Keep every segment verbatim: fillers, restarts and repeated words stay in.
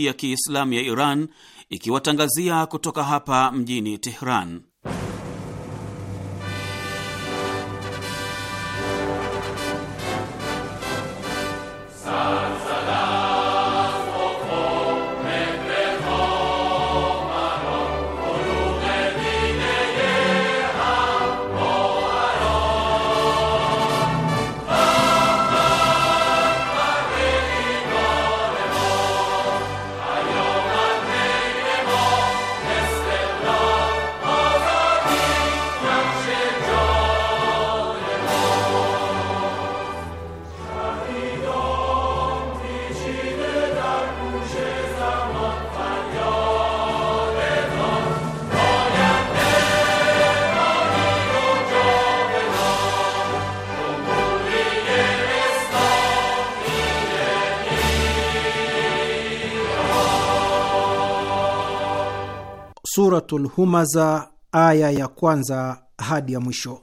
ya Kiislamu ya Iran ikiwatangazia kutoka hapa mjini Tehran. Suratul Humaza, aya ya kwanza hadi ya mwisho.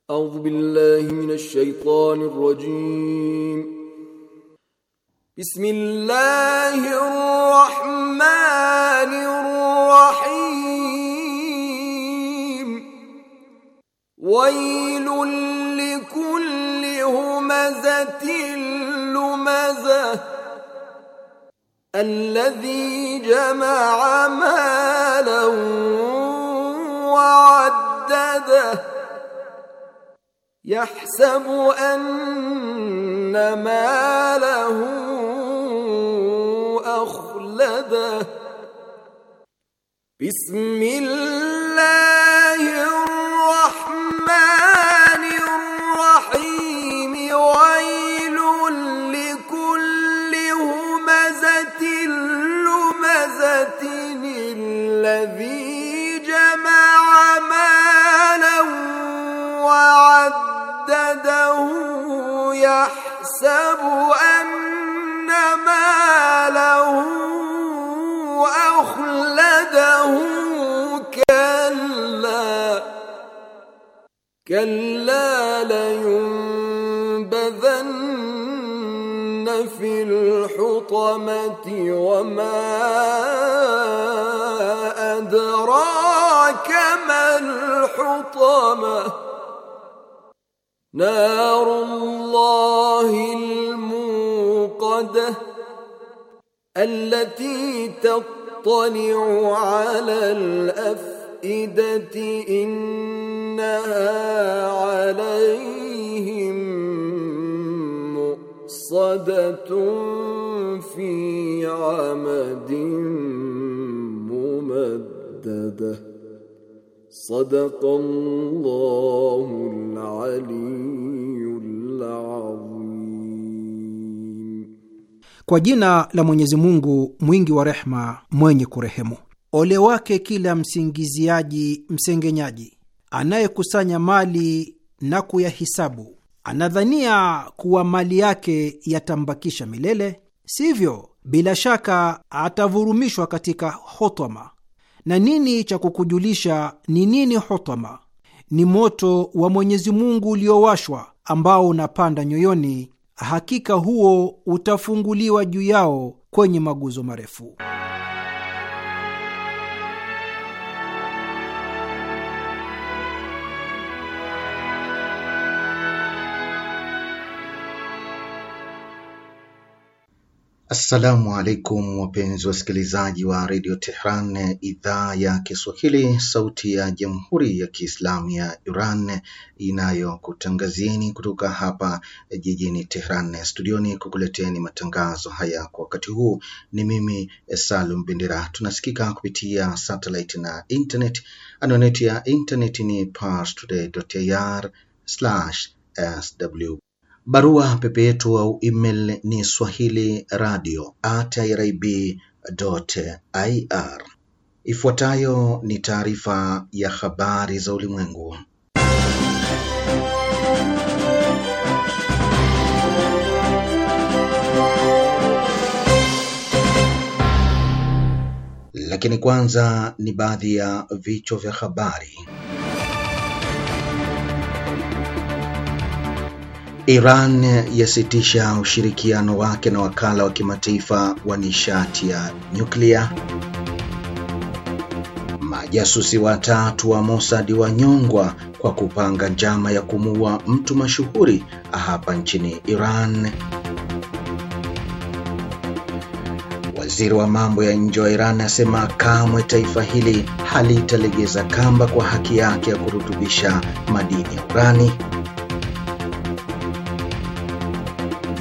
A'udhu billahi minash shaitani rrajim. Bismillahir rahmanir rahim. Wailul likulli humazatin lumazah الذي جمع مالا وعدده يحسب أن ماله أخلده بسم الله الرحمن الرحيم ويل لكل همزة لمزة الذي جمع مالا وعدده يحسب أن ماله أخلده كلا كلا لينبذن في الحطمة وما أدراك ما الحطمة نار الله الموقدة التي تطلع على الأفئدة إنها عليهم مؤصدة في عمد ممددة. صدق الله العلي العظيم. Kwa jina la Mwenyezi Mungu mwingi wa rehma, mwenye kurehemu. Ole wake kila msingiziaji msengenyaji, anayekusanya mali na kuyahisabu, anadhania kuwa mali yake yatambakisha milele. Sivyo, bila shaka atavurumishwa katika hotama. Na nini cha kukujulisha ni nini hotama? Ni moto wa Mwenyezi Mungu uliowashwa, ambao unapanda nyoyoni. Hakika huo utafunguliwa juu yao kwenye maguzo marefu. Assalamu alaikum wapenzi wasikilizaji wa Radio Tehran, idhaa ya Kiswahili, sauti ya Jamhuri ya Kiislamu ya Iran inayokutangazieni kutoka hapa jijini Tehran. Studioni kukuleteni matangazo haya kwa wakati huu ni mimi Salum Bendera. Tunasikika kupitia satellite na internet. Anwani ya internet ni parstoday dot i r slash s w. Barua pepe yetu au email ni swahili radio at i r b dot i r. Ifuatayo ni taarifa ya habari za ulimwengu. Lakini kwanza ni baadhi ya vichwa vya habari. Iran yasitisha ushirikiano wake na wakala wa kimataifa wa nishati ya nyuklia. Majasusi watatu wa Mossad wanyongwa kwa kupanga njama ya kumuua mtu mashuhuri hapa nchini Iran. Waziri wa mambo ya nje wa Iran asema kamwe taifa hili halitalegeza kamba kwa haki yake ya kurutubisha madini ya urani.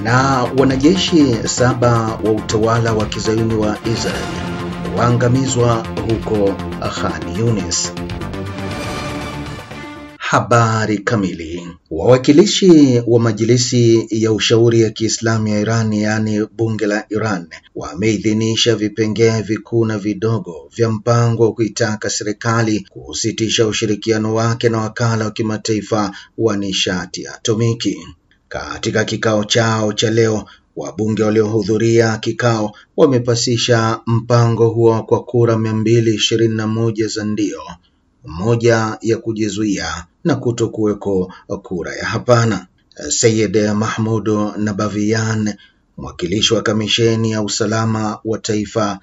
Na wanajeshi saba wa utawala wa kizayuni wa Israel waangamizwa huko Khan Yunis. Habari kamili. Wawakilishi wa Majilisi ya Ushauri ya Kiislamu ya Iran, yaani bunge la Iran, wameidhinisha vipengee vikuu na vidogo vya mpango wa kuitaka serikali kusitisha ushirikiano wake na wakala wa kimataifa wa nishati atomiki. Katika kikao chao cha leo, wabunge waliohudhuria kikao wamepasisha mpango huo kwa kura mia mbili ishirini na moja za ndio, moja ya kujizuia na kutokuweko kura ya hapana. Sayyid Mahmud Nabavian, mwakilishi wa kamisheni ya usalama wa taifa,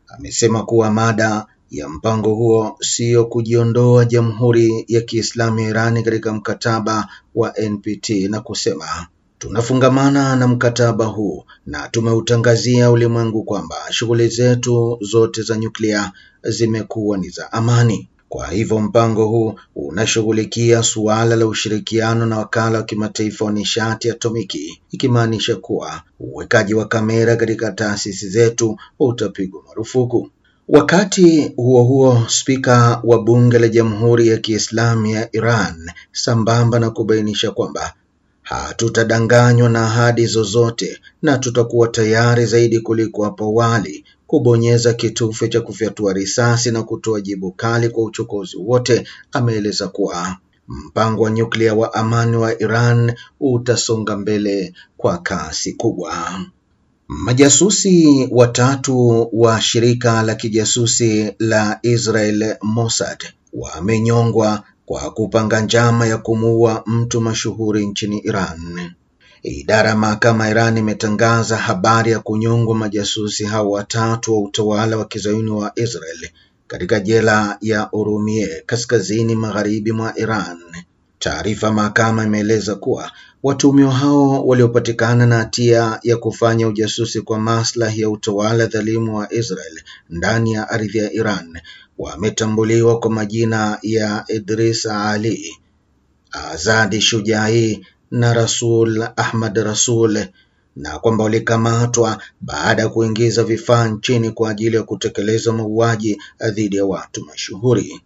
amesema kuwa mada ya mpango huo sio kujiondoa Jamhuri ya Kiislamu ya Iran katika mkataba wa N P T na kusema, tunafungamana na mkataba huu na tumeutangazia ulimwengu kwamba shughuli zetu zote za nyuklia zimekuwa ni za amani. Kwa hivyo mpango huu unashughulikia suala la ushirikiano na wakala wa kimataifa wa nishati atomiki, ikimaanisha kuwa uwekaji wa kamera katika taasisi zetu utapigwa marufuku. Wakati huo huo, spika wa bunge la Jamhuri ya Kiislamu ya Iran, sambamba na kubainisha kwamba hatutadanganywa na ahadi zozote na tutakuwa tayari zaidi kuliko hapo awali kubonyeza kitufe cha kufyatua risasi na kutoa jibu kali kwa uchokozi wote, ameeleza kuwa mpango wa nyuklia wa amani wa Iran utasonga mbele kwa kasi kubwa. Majasusi watatu wa shirika la kijasusi la Israel Mossad wamenyongwa kwa kupanga njama ya kumuua mtu mashuhuri nchini Iran. Idara ya mahakama Iran imetangaza habari ya kunyongwa majasusi hao watatu wa utawala wa kizayuni wa Israel katika jela ya Urumie kaskazini magharibi mwa Iran. Taarifa mahakama imeeleza kuwa watuhumiwa hao waliopatikana na hatia ya kufanya ujasusi kwa maslahi ya utawala dhalimu wa Israel ndani ya ardhi ya Iran wametambuliwa kwa majina ya Idris Ali, Azadi Shujai na Rasul Ahmad Rasul, na kwamba walikamatwa baada ya kuingiza vifaa nchini kwa ajili ya kutekeleza mauaji dhidi ya watu mashuhuri.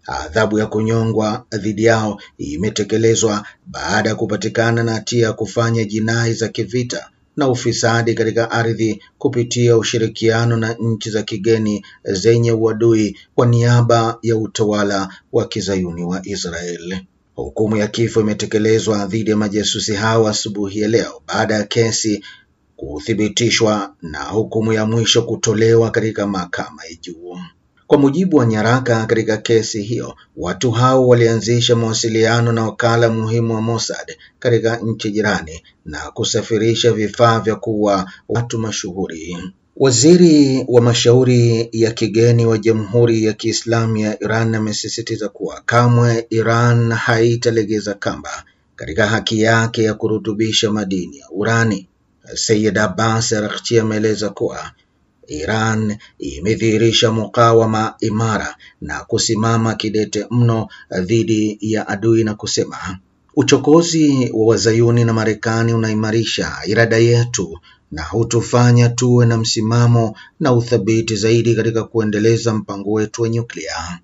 Adhabu ya kunyongwa dhidi yao imetekelezwa baada ya kupatikana na hatia ya kufanya jinai za kivita na ufisadi katika ardhi kupitia ushirikiano na nchi za kigeni zenye uadui kwa niaba ya utawala wa kizayuni wa Israel. Hukumu ya kifo imetekelezwa dhidi ya majasusi hao asubuhi ya leo baada ya kesi kuthibitishwa na hukumu ya mwisho kutolewa katika mahakama ya juu. Kwa mujibu wa nyaraka katika kesi hiyo, watu hao walianzisha mawasiliano na wakala muhimu wa Mossad katika nchi jirani na kusafirisha vifaa vya kuua watu mashuhuri. Waziri wa mashauri ya kigeni wa Jamhuri ya Kiislamu ya Iran amesisitiza kuwa kamwe Iran haitalegeza kamba katika haki yake ya kurutubisha madini ya urani. Sayyid Abbas Araghchi ameeleza kuwa Iran imedhihirisha mukawama imara na kusimama kidete mno dhidi ya adui na kusema uchokozi wa wazayuni na Marekani unaimarisha irada yetu na hutufanya tuwe na msimamo na uthabiti zaidi katika kuendeleza mpango wetu wa nyuklia.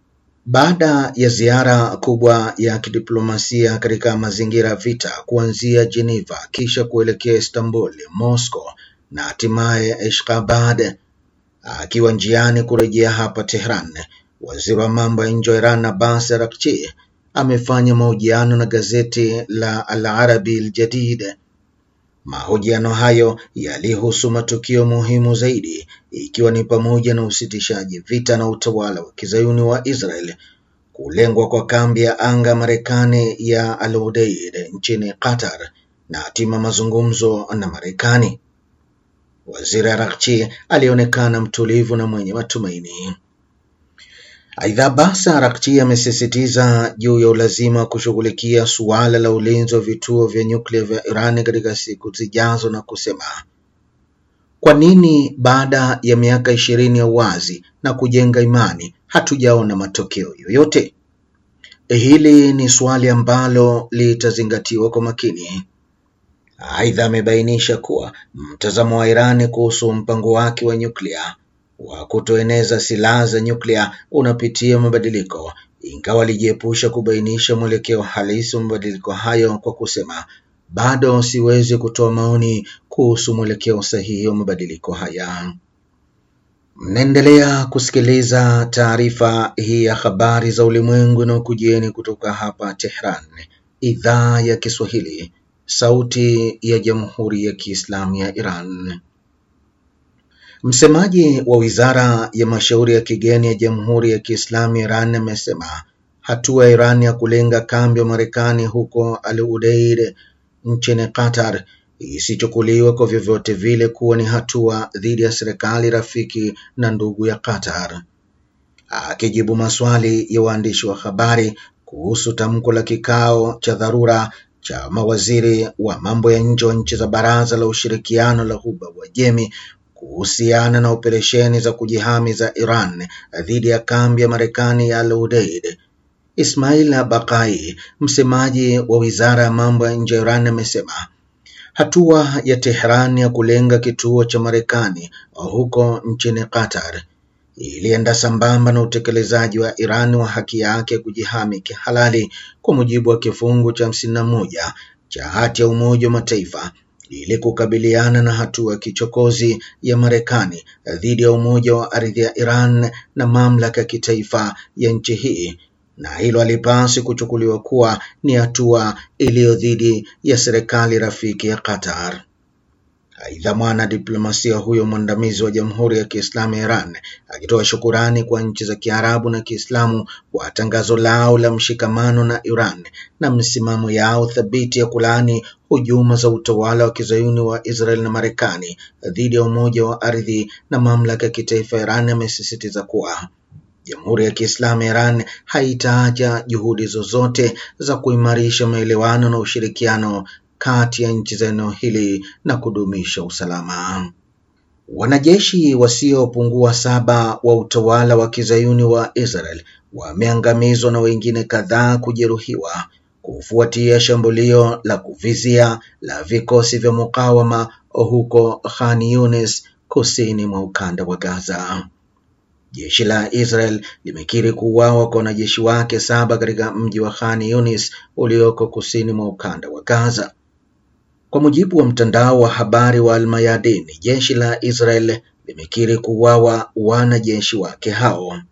Baada ya ziara kubwa ya kidiplomasia katika mazingira vita kuanzia Geneva kisha kuelekea Istanbul, Moscow na hatimaye Ashgabat, akiwa njiani kurejea hapa Tehran, waziri wa mambo ya nje wa Iran Abbas Araghchi amefanya mahojiano na gazeti la Al Arabi Al Jadid. Mahojiano hayo yalihusu matukio muhimu zaidi, ikiwa ni pamoja na usitishaji vita na utawala wa kizayuni wa Israel, kulengwa kwa kambi ya anga Marekani ya Al Udeid nchini Qatar na hatima mazungumzo na Marekani. Waziri Araghchi alionekana mtulivu na mwenye matumaini. Aidha, Abbas Araghchi amesisitiza juu ya ulazima wa kushughulikia suala la ulinzi wa vituo vya nyuklia vya Iran katika siku zijazo na kusema, kwa nini baada ya miaka ishirini ya uwazi na kujenga imani hatujaona matokeo yoyote? Hili ni swali ambalo litazingatiwa kwa makini. Aidha, amebainisha kuwa mtazamo wa Iran kuhusu mpango wake wa nyuklia wa kutoeneza silaha za nyuklia unapitia mabadiliko, ingawa alijiepusha kubainisha mwelekeo halisi wa mabadiliko hayo kwa kusema, bado siwezi kutoa maoni kuhusu mwelekeo sahihi wa mabadiliko haya. Mnaendelea kusikiliza taarifa hii ya habari za ulimwengu na ukujieni kutoka hapa Tehran, idhaa ya Kiswahili, sauti ya Jamhuri ya Kiislamu ya Iran. Msemaji wa Wizara ya Mashauri ya Kigeni ya Jamhuri ya Kiislamu ya Iran amesema hatua ya Iran ya kulenga kambi ya Marekani huko Al Udeid nchini Qatar isichukuliwe kwa vyovyote vile kuwa ni hatua dhidi ya serikali rafiki na ndugu ya Qatar. Akijibu maswali ya waandishi wa habari kuhusu tamko la kikao cha dharura cha mawaziri wa mambo ya nje wa nchi za Baraza la Ushirikiano la Ghuba Uajemi kuhusiana na operesheni za kujihami za Iran dhidi ya kambi ya Marekani ya Al Udeid, Ismail Bakai, msemaji wa Wizara ya Mambo ya Nje ya Iran, amesema hatua ya Tehran ya kulenga kituo cha Marekani huko nchini Qatar ilienda sambamba na utekelezaji wa Iran wa haki yake kujihami kihalali kwa mujibu wa kifungu cha hamsini na moja cha hati ya Umoja wa Mataifa ili kukabiliana na hatua ya kichokozi ya Marekani dhidi ya umoja wa ardhi ya Iran na mamlaka ya kitaifa ya nchi hii, na hilo halipaswi kuchukuliwa kuwa ni hatua iliyo dhidi ya serikali rafiki ya Qatar. Aidha, mwana diplomasia huyo mwandamizi wa Jamhuri ya Kiislamu ya Iran akitoa shukurani kwa nchi za Kiarabu na Kiislamu kwa tangazo lao la mshikamano na Iran na msimamo yao thabiti ya kulaani hujuma za utawala wa kizayuni wa Israel na Marekani dhidi ya umoja wa ardhi na mamlaka ya kitaifa ya Iran, amesisitiza kuwa Jamhuri ya Kiislamu ya Iran haitaacha juhudi zozote za kuimarisha maelewano na ushirikiano kati ya nchi za eneo hili na kudumisha usalama. Wanajeshi wasiopungua saba wa utawala wa kizayuni wa Israel wameangamizwa na wengine kadhaa kujeruhiwa kufuatia shambulio la kuvizia la vikosi vya mukawama huko Khan Yunis, kusini mwa ukanda wa Gaza. Jeshi la Israel limekiri kuuawa kwa wanajeshi wake saba katika mji wa Khan Yunis ulioko kusini mwa ukanda wa Gaza. Kwa mujibu wa mtandao wa habari wa Al-Mayadin, jeshi la Israel limekiri kuuawa wanajeshi wake hao.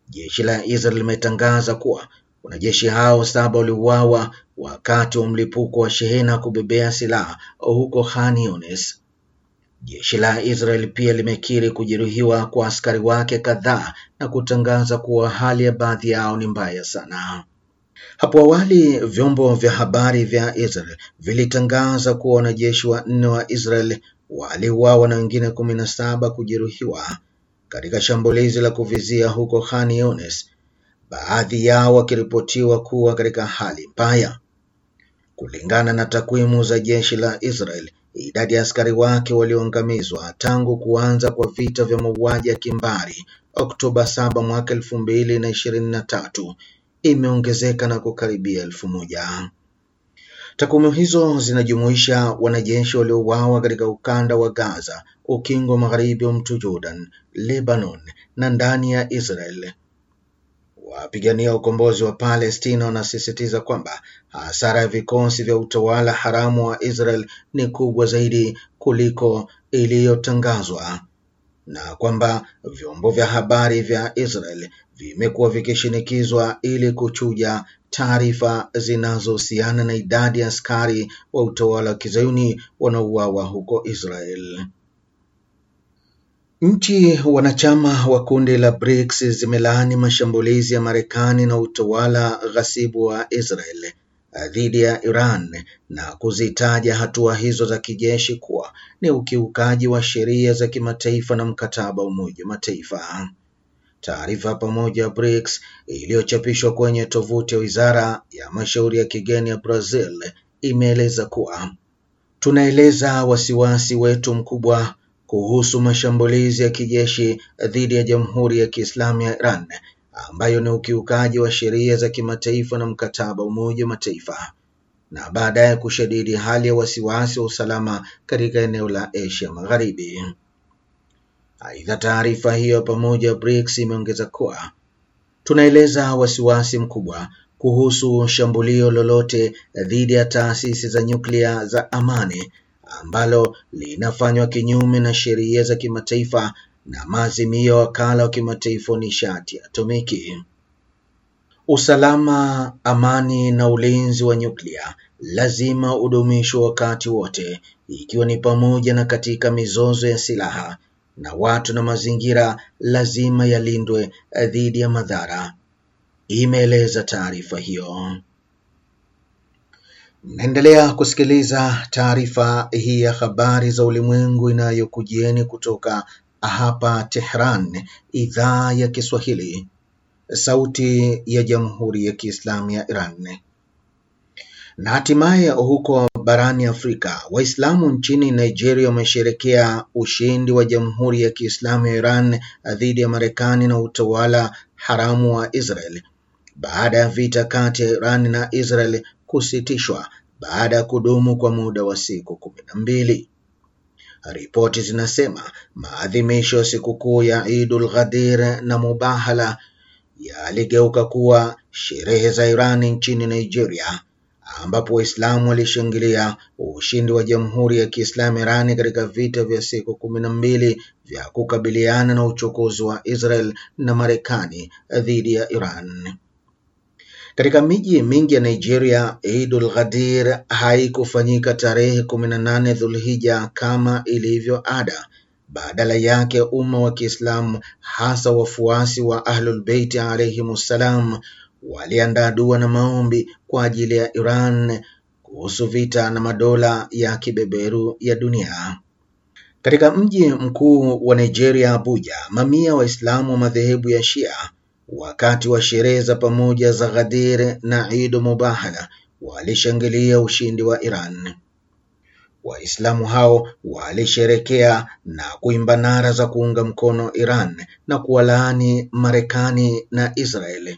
Jeshi la Israel limetangaza kuwa wanajeshi hao saba waliuawa wakati wa mlipuko wa shehena kubebea silaha huko Khan Yunis. Jeshi la Israel pia limekiri kujeruhiwa kwa askari wake kadhaa na kutangaza kuwa hali ya baadhi yao ni mbaya sana. Hapo awali vyombo vya habari vya Israel vilitangaza kuwa wanajeshi wanne wa Israel waliuawa na wengine kumi na saba kujeruhiwa katika shambulizi la kuvizia huko Khan Yunis, baadhi yao wakiripotiwa kuwa katika hali mbaya. Kulingana na takwimu za jeshi la Israel, idadi ya askari wake walioangamizwa tangu kuanza kwa vita vya mauaji ya kimbari Oktoba saba mwaka elfu mbili na ishirini na tatu imeongezeka na kukaribia elfu moja. Takwimu hizo zinajumuisha wanajeshi waliouawa katika ukanda wa Gaza, ukingo magharibi wa mto Jordan, Lebanon na ndani ya Israel. Wapigania ukombozi wa Palestina wanasisitiza kwamba hasara ya vikosi vya utawala haramu wa Israel ni kubwa zaidi kuliko iliyotangazwa na kwamba vyombo vya habari vya Israel vimekuwa vikishinikizwa ili kuchuja taarifa zinazohusiana na idadi ya askari wa utawala wa kizayuni wanaouawa huko Israel. Nchi wanachama wa kundi la BRICS zimelaani mashambulizi ya Marekani na utawala ghasibu wa Israel dhidi ya Iran na kuzitaja hatua hizo za kijeshi kuwa ni ukiukaji wa sheria za kimataifa na mkataba wa Umoja wa Mataifa. Taarifa pamoja BRICS iliyochapishwa kwenye tovuti ya Wizara ya Mashauri ya Kigeni ya Brazil imeeleza kuwa tunaeleza wasiwasi wetu mkubwa kuhusu mashambulizi ya kijeshi dhidi ya Jamhuri ya Kiislamu ya Iran ambayo ni ukiukaji wa sheria za kimataifa na mkataba wa Umoja wa Mataifa, na baadaye kushadidi hali ya wasiwasi wa usalama katika eneo la Asia Magharibi. Aidha, taarifa hiyo pamoja BRICS imeongeza kuwa tunaeleza wasiwasi mkubwa kuhusu shambulio lolote dhidi ya taasisi za nyuklia za amani ambalo linafanywa kinyume na sheria za kimataifa na maazimio ya Wakala wa Kimataifa wa Nishati ya Atomiki. Usalama, amani na ulinzi wa nyuklia lazima udumishwe wakati wote, ikiwa ni pamoja na katika mizozo ya silaha, na watu na mazingira lazima yalindwe dhidi ya madhara, imeeleza taarifa hiyo. Mnaendelea kusikiliza taarifa hii ya habari za ulimwengu inayokujieni kutoka hapa Tehran, idhaa ya Kiswahili, sauti ya Jamhuri ya Kiislamu ya Iran. Na hatimaye huko barani Afrika, Waislamu nchini Nigeria wamesherekea ushindi wa Jamhuri ya Kiislamu ya Iran dhidi ya Marekani na utawala haramu wa Israel baada ya vita kati ya Iran na Israel kusitishwa baada ya kudumu kwa muda wa siku kumi na mbili. Ripoti zinasema maadhimisho ya sikukuu ya Idul Ghadir na Mubahala yaligeuka kuwa sherehe za Iran nchini Nigeria, ambapo Waislamu walishangilia ushindi wa Jamhuri ya Kiislamu Irani katika vita vya siku kumi na mbili vya kukabiliana na uchokozi wa Israel na Marekani dhidi ya Iran. Katika miji mingi ya Nigeria, Idul Ghadir haikufanyika tarehe kumi na nane Dhulhija kama ilivyo ada. Badala yake, umma wa Kiislamu hasa wafuasi wa Ahlul Bait alayhimussalam waliandaa dua na maombi kwa ajili ya Iran kuhusu vita na madola ya kibeberu ya dunia. Katika mji mkuu wa Nigeria, Abuja, mamia Waislamu wa madhehebu ya Shia wakati wa sherehe za pamoja za Ghadir na Eid Mubahala walishangilia ushindi wa Iran. Waislamu hao walisherekea na kuimba nara za kuunga mkono Iran na kuwalaani Marekani na Israeli.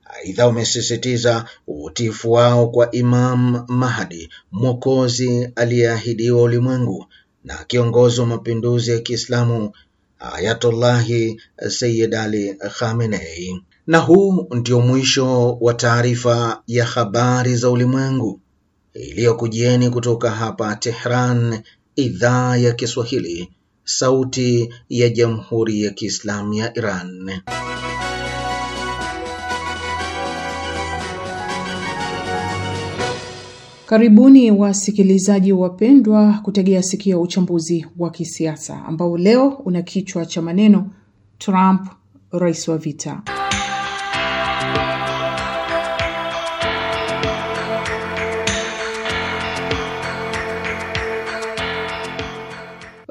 Aidha, wamesisitiza utiifu wao kwa Imam Mahdi, mwokozi aliyeahidiwa ulimwengu na kiongozi wa mapinduzi ya Kiislamu Ayatollahi Sayyid Ali Khamenei. Na huu ndio mwisho wa taarifa ya habari za ulimwengu iliyokujieni kutoka hapa Tehran, idhaa ya Kiswahili, sauti ya Jamhuri ya Kiislamu ya Iran. Karibuni wasikilizaji wapendwa kutegea sikio uchambuzi wa kisiasa ambao leo una kichwa cha maneno Trump, rais wa vita.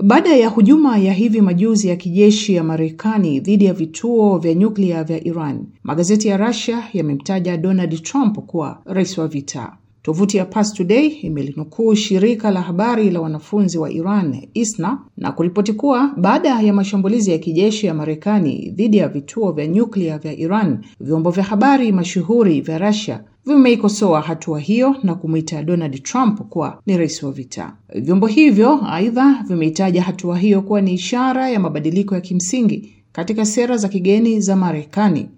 Baada ya hujuma ya hivi majuzi ya kijeshi ya Marekani dhidi ya vituo vya nyuklia vya Iran, magazeti ya Russia yamemtaja Donald Trump kuwa rais wa vita. Tovuti ya Pars Today imelinukuu shirika la habari la wanafunzi wa Iran, I S N A, na kuripoti kuwa baada ya mashambulizi ya kijeshi ya Marekani dhidi ya vituo vya nyuklia vya Iran, vyombo vya habari mashuhuri vya Russia vimeikosoa hatua hiyo na kumuita Donald Trump kuwa ni rais wa vita. Vyombo hivyo aidha vimeitaja hatua hiyo kuwa ni ishara ya mabadiliko ya kimsingi katika sera za kigeni za Marekani,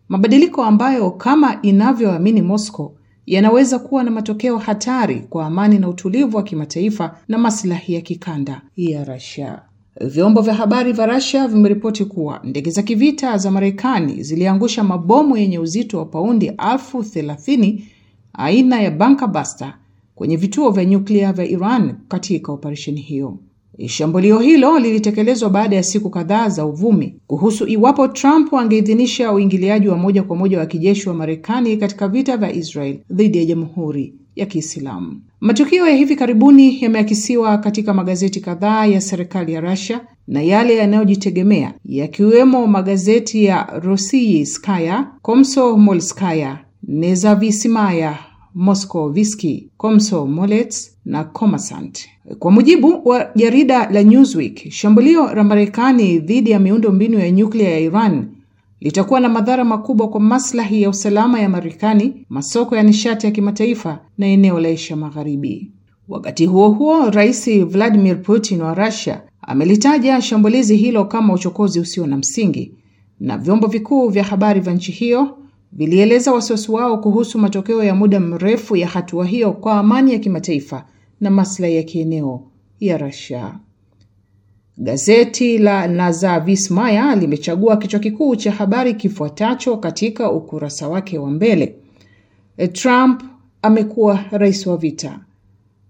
mabadiliko ambayo kama inavyoamini Moscow yanaweza kuwa na matokeo hatari kwa amani na utulivu wa kimataifa na maslahi ya kikanda ya Russia. Vyombo vya habari vya Russia vimeripoti kuwa ndege za kivita za Marekani ziliangusha mabomu yenye uzito wa paundi elfu thelathini aina ya Bunker Buster kwenye vituo vya nyuklia vya Iran katika operesheni hiyo. Shambulio hilo lilitekelezwa baada ya siku kadhaa za uvumi kuhusu iwapo Trump angeidhinisha uingiliaji wa moja kwa moja wa kijeshi wa Marekani katika vita vya Israel dhidi ya Jamhuri ya Kiislamu. Matukio ya hivi karibuni yameakisiwa katika magazeti kadhaa ya serikali ya Russia na yale yanayojitegemea, yakiwemo magazeti ya Rossiyskaya, Komsomolskaya, Nezavisimaya, Moskovsky, Komsomolets na Kommersant. Kwa mujibu wa jarida la Newsweek, shambulio la Marekani dhidi ya miundo mbinu ya nyuklia ya Iran litakuwa na madhara makubwa kwa maslahi ya usalama ya Marekani, masoko ya nishati ya kimataifa na eneo la Asia Magharibi. Wakati huo huo, Rais Vladimir Putin wa Russia amelitaja shambulizi hilo kama uchokozi usio na msingi, na vyombo vikuu vya habari vya nchi hiyo vilieleza wasiwasi wao kuhusu matokeo ya muda mrefu ya hatua hiyo kwa amani ya kimataifa na maslahi ya kieneo ya Russia. Gazeti la Nezavisimaya limechagua kichwa kikuu cha habari kifuatacho katika ukurasa wake wa mbele: Trump amekuwa rais wa vita.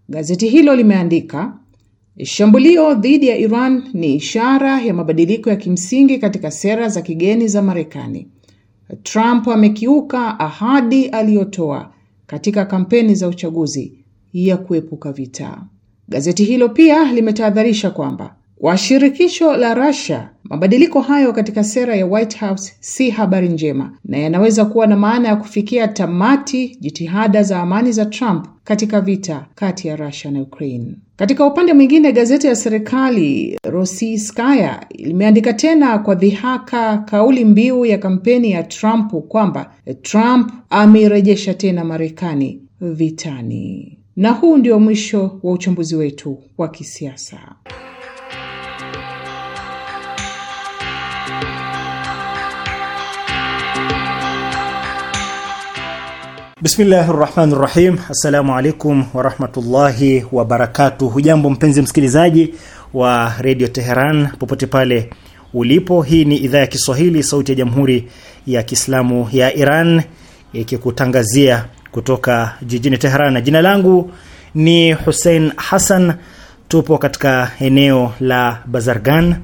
Gazeti hilo limeandika, shambulio dhidi ya Iran ni ishara ya mabadiliko ya kimsingi katika sera za kigeni za Marekani. Trump amekiuka ahadi aliyotoa katika kampeni za uchaguzi ya kuepuka vita. Gazeti hilo pia limetahadharisha kwamba kwa shirikisho la Russia, mabadiliko hayo katika sera ya White House si habari njema na yanaweza kuwa na maana ya kufikia tamati jitihada za amani za Trump katika vita kati ya Russia na Ukraine. Katika upande mwingine, gazeti ya serikali Rossiyskaya limeandika tena kwa dhihaka kauli mbiu ya kampeni ya Trump kwamba Trump ameirejesha tena Marekani vitani. Na huu ndio mwisho wa uchambuzi wetu wa kisiasa. Bismillahir Rahmanir Rahim. Assalamu alaikum wa rahmatullahi wa barakatuh. Hujambo mpenzi msikilizaji wa Radio Teheran popote pale ulipo. Hii ni idhaa ya Kiswahili, sauti ya Jamhuri ya Kiislamu ya Iran, ikikutangazia kutoka jijini Teheran. Jina langu ni Hussein Hassan. Tupo katika eneo la Bazargan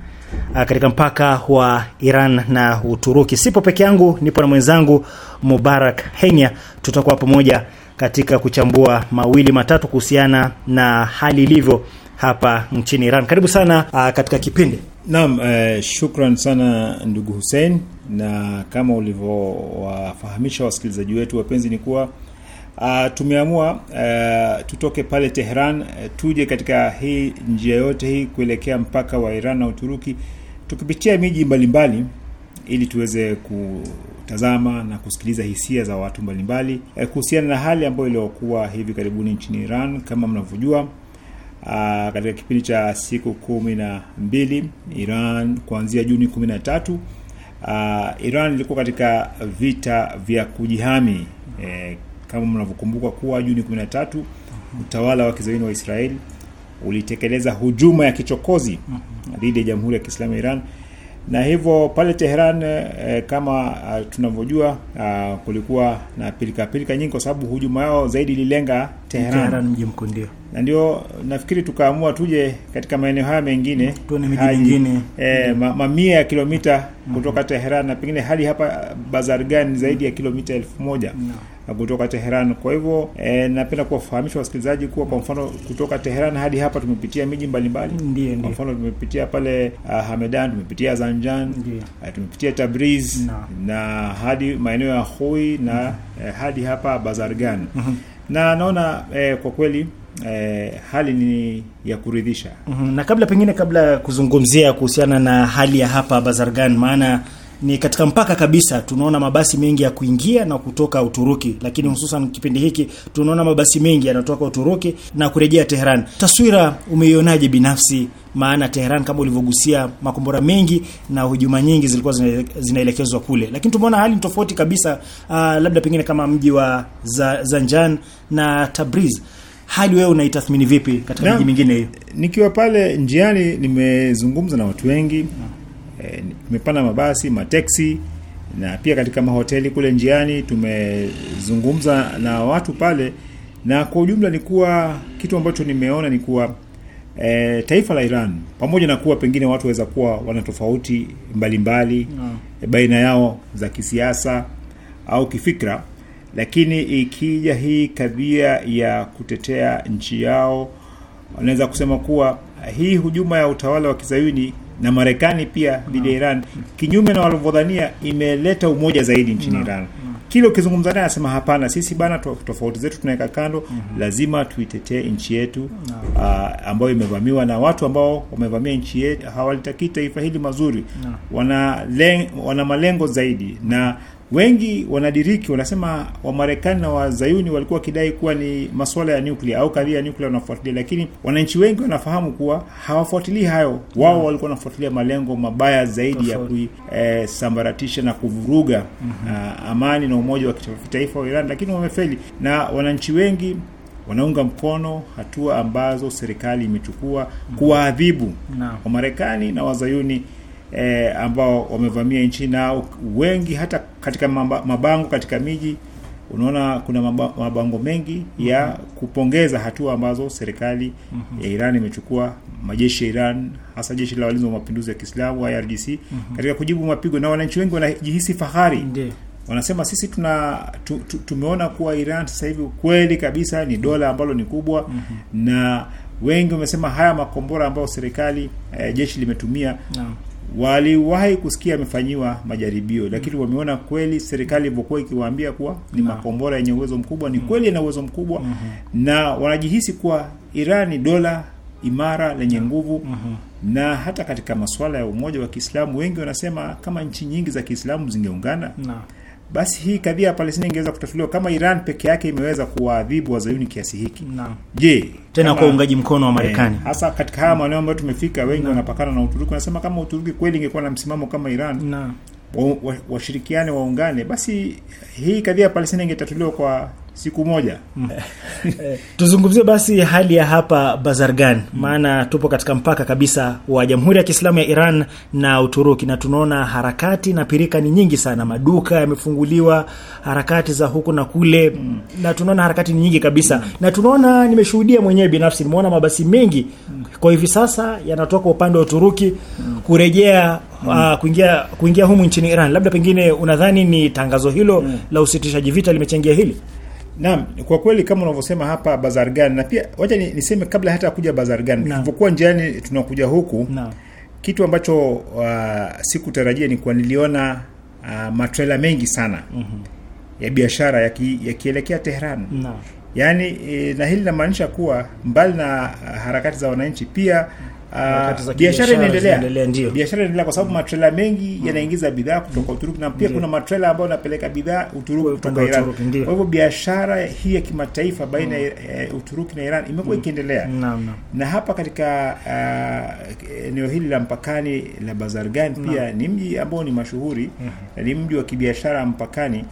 katika mpaka wa Iran na Uturuki. Sipo peke yangu, nipo na mwenzangu Mubarak Henya. Tutakuwa pamoja katika kuchambua mawili matatu kuhusiana na hali ilivyo hapa nchini Iran. Karibu sana katika kipindi. Naam, eh, shukran sana ndugu Hussein, na kama ulivyowafahamisha wasikilizaji wetu wapenzi ni kuwa Uh, tumeamua uh, tutoke pale Tehran uh, tuje katika hii njia yote hii kuelekea mpaka wa Iran na Uturuki, tukipitia miji mbalimbali ili tuweze kutazama na kusikiliza hisia za watu mbalimbali uh, kuhusiana na hali ambayo iliyokuwa hivi karibuni nchini Iran. Kama mnavyojua, uh, katika kipindi cha siku kumi na mbili Iran kuanzia Juni kumi na tatu, uh, Iran ilikuwa katika vita vya kujihami. eh, Kama mnavyokumbuka kuwa Juni kumi na tatu utawala wa kizayuni wa Israel ulitekeleza hujuma ya kichokozi dhidi ya Jamhuri ya Kiislamu ya Iran, na hivyo pale Tehran eh, kama tunavyojua ah, kulikuwa na pilika pilika nyingi kwa sababu hujuma yao zaidi ililenga Tehran, Tehran mji mkuu, ndio. Na ndio nafikiri tukaamua tuje katika maeneo haya mengine, tuone miji mingine eh, ma, mamia ya kilomita kutoka Tehran, na pengine hadi hapa Bazargan zaidi ya kilomita elfu moja no. kutoka Teheran. Kwa hivyo eh, napenda kuwafahamisha wasikilizaji kuwa kwa mfano kutoka Teheran hadi hapa tumepitia miji mbalimbali. Ndiyo, kwa mfano tumepitia pale uh, Hamedan, tumepitia Zanjan, uh, tumepitia Tabriz no. na hadi maeneo ya Khoi na mm -hmm. eh, hadi hapa Bazargan. mm -hmm. Na naona eh, kwa kweli eh, hali ni ya kuridhisha. mm -hmm. Na kabla pengine kabla kuzungumzia kuhusiana na hali ya hapa Bazargan, maana ni katika mpaka kabisa, tunaona mabasi mengi ya kuingia na kutoka Uturuki, lakini hususan kipindi hiki tunaona mabasi mengi yanatoka Uturuki na kurejea Tehran. Taswira umeionaje binafsi? Maana Tehran kama ulivyogusia, makombora mengi na hujuma nyingi zilikuwa zinaelekezwa kule, lakini tumeona hali tofauti kabisa. Uh, labda pengine kama mji wa Zanjan na Tabriz, hali wewe unaitathmini vipi katika miji mingine hiyo? Nikiwa pale njiani nimezungumza na watu wengi, tumepanda mabasi, mateksi na pia katika mahoteli kule njiani tumezungumza na watu pale, na kwa ujumla ni kuwa kitu ambacho nimeona ni kuwa e, taifa la Iran pamoja na kuwa pengine watu waweza kuwa wana tofauti mbalimbali mm. baina yao za kisiasa au kifikra, lakini ikija hii kadhia ya kutetea nchi yao, wanaweza kusema kuwa hii hujuma ya utawala wa Kizayuni na Marekani pia dhidi ya Iran, kinyume na walivyodhania, imeleta umoja zaidi nchini no. Iran. Kile ukizungumza naye anasema hapana, sisi bana tofauti zetu tunaweka kando, mm -hmm. lazima tuitetee nchi yetu no. uh, ambayo imevamiwa na watu ambao wamevamia nchi yetu hawalitaki taifa hili mazuri no. wana len, wana malengo zaidi, na wengi wanadiriki wanasema Wamarekani na Wazayuni walikuwa wakidai kuwa ni masuala ya nuclear au kadhia ya nuclear wanafuatilia, lakini wananchi wengi wanafahamu kuwa hawafuatilii hayo. Wao mm. walikuwa wanafuatilia malengo mabaya zaidi ya kuisambaratisha eh, na kuvuruga mm -hmm. uh, amani na umoja wa kitaifa wa Iran, lakini wamefeli, na wananchi wengi wanaunga mkono hatua ambazo serikali imechukua mm -hmm. kuwaadhibu no. Wamarekani na Wazayuni E, ambao wamevamia nchi. Na wengi hata katika mabango katika miji unaona kuna mabango mengi ya mm -hmm. kupongeza hatua ambazo serikali mm -hmm. ya Iran imechukua, majeshi ya Iran hasa jeshi la walinzi wa mapinduzi ya Kiislamu I R G C mm -hmm. katika kujibu mapigo, na wananchi wengi wanajihisi fahari. Ndiyo. Wanasema sisi tuna tu, tu, tumeona kuwa Iran sasa hivi kweli kabisa ni dola ambalo ni kubwa mm -hmm. na wengi wamesema haya makombora ambayo serikali eh, jeshi limetumia no. waliwahi kusikia amefanyiwa majaribio, lakini mm. wameona kweli serikali ilivyokuwa ikiwaambia kuwa ni makombora yenye uwezo mkubwa, ni kweli ina uwezo mkubwa mm -hmm. na wanajihisi kuwa Iran ni dola imara lenye nguvu mm -hmm. na hata katika masuala ya umoja wa Kiislamu wengi wanasema kama nchi nyingi za Kiislamu zingeungana no. basi hii kadhia ya Palestina ingeweza kutatuliwa kama Iran peke yake imeweza kuwaadhibu Wazayuni kiasi hiki. Naam. Je, tena kwa uungaji mkono wa Marekani. Eh, hasa katika haya maeneo ambayo tumefika wengi wanapakana na Uturuki, wanasema kama Uturuki kweli ingekuwa na msimamo kama Iran, naam, washirikiane wa, waungane, basi hii kadhia ya Palestina ingetatuliwa kwa siku moja. Mm. Tuzungumzie basi hali ya hapa Bazargan, maana tupo katika mpaka kabisa wa Jamhuri ya Kiislamu ya Iran na Uturuki, na tunaona harakati na pirika ni nyingi sana, maduka yamefunguliwa, harakati za huku na kule mm. na tunaona harakati ni nyingi kabisa mm. na tunaona, nimeshuhudia mwenyewe binafsi, nimeona mabasi mengi mm. kwa hivi sasa yanatoka upande wa Uturuki mm. kurejea mm. uh, kuingia kuingia humu nchini Iran. Labda pengine unadhani ni tangazo hilo mm. la usitishaji vita limechangia hili? Naam, kwa kweli kama unavyosema hapa Bazargan, na pia wacha niseme kabla hata kuja Bazargan, tulipokuwa njiani tunakuja huku, naam, kitu ambacho uh, sikutarajia ni kwa niliona uh, matrela mengi sana mm -hmm. ya biashara yakielekea ya Tehran. Naam. Yaani e, na hili linamaanisha kuwa mbali na harakati za wananchi pia Uh, biashara inaendelea. Biashara inaendelea kwa sababu mm. matrela mengi mm. yanaingiza bidhaa kutoka Uturuki, na pia ndiyo. Kuna matrela ambayo yanapeleka bidhaa Uturuki kutoka Iran. Kwa hivyo biashara hii ya kimataifa baina ya mm. Uturuki na Iran imekuwa mm. ikiendelea. Naam, naam. Na hapa katika eneo uh, hili la mpakani la Bazargan pia ni mji ambao ni mashuhuri, mm -hmm. ni mji wa kibiashara mpakani.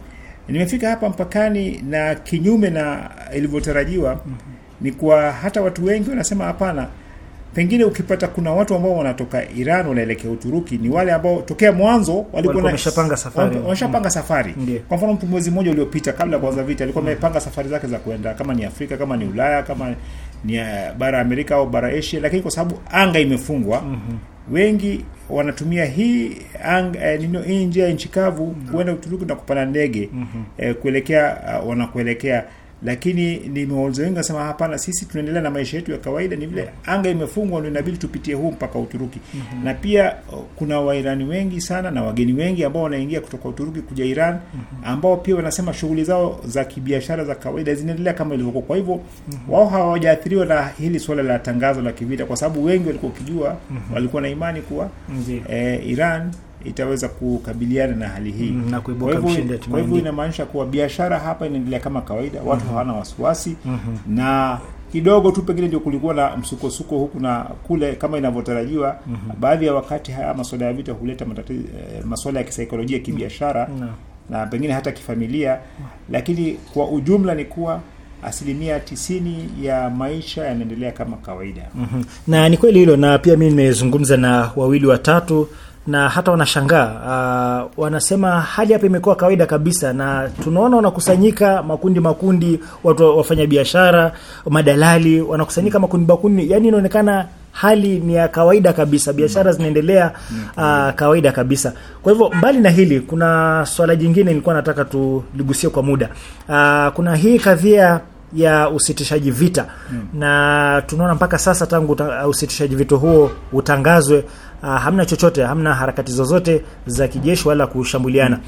Nimefika hapa mpakani na kinyume na ilivyotarajiwa mm -hmm. ni kwa hata watu wengi wanasema hapana. Pengine ukipata kuna watu ambao wanatoka Iran wanaelekea Uturuki ni wale ambao tokea mwanzo walikuwa wameshapanga safari. Wameshapanga safari. Ndiyo. Kwa mfano mtu mwezi mmoja uliopita kabla kuanza vita alikuwa amepanga safari zake za kwenda kama ni Afrika, kama ni Ulaya, kama ni bara Amerika au bara Asia, lakini kwa sababu anga imefungwa mm -hmm. wengi wanatumia hii anga eh, nino hii njia ya nchi kavu mm -hmm. kuenda Uturuki na kupanda ndege mm -hmm. eh, kuelekea uh, wanakuelekea. Lakini nimewauliza wengi wasema hapana, sisi tunaendelea na maisha yetu ya kawaida, ni vile anga imefungwa ndio inabidi tupitie huu mpaka Uturuki. Mm -hmm. Na pia kuna Wairani wengi sana na wageni wengi ambao wanaingia kutoka Uturuki kuja Iran mm -hmm. ambao pia wanasema shughuli zao za kibiashara za kawaida zinaendelea kama ilivyokuwa. Kwa hivyo mm -hmm. wao hawajaathiriwa na hili swala la tangazo la kivita kwa sababu wengi walikuwa wakijua mm -hmm. walikuwa na imani kuwa mm -hmm. eh, Iran itaweza kukabiliana na hali hii mm, na kuibuka mshindi. Kwa hivyo inamaanisha kuwa biashara hapa inaendelea kama kawaida, watu mm -hmm. hawana wasiwasi mm -hmm. na kidogo tu pengine ndio kulikuwa na msukosuko huku na kule kama inavyotarajiwa. mm -hmm. Baadhi ya wakati haya masuala ya vita huleta matatizo, eh, masuala ya kisaikolojia, kibiashara mm -hmm. na pengine hata kifamilia, lakini kwa ujumla ni kuwa asilimia tisini ya maisha yanaendelea kama kawaida. mm -hmm. Na ni kweli hilo, na pia mimi nimezungumza na wawili watatu na hata wanashangaa, uh, wanasema hali hapa imekuwa kawaida kabisa, na tunaona wanakusanyika makundi makundi, watu wafanya biashara, madalali wanakusanyika makundi makundi, yani inaonekana hali ni ya kawaida kabisa, biashara zinaendelea uh, kawaida kabisa. Kwa hivyo mbali na hili, kuna swala jingine nilikuwa nataka tuligusie kwa muda. Uh, kuna hii kadhia ya usitishaji vita mm. na tunaona mpaka sasa tangu usitishaji vita huo utangazwe, uh, hamna chochote, hamna harakati zozote za kijeshi wala kushambuliana. mm.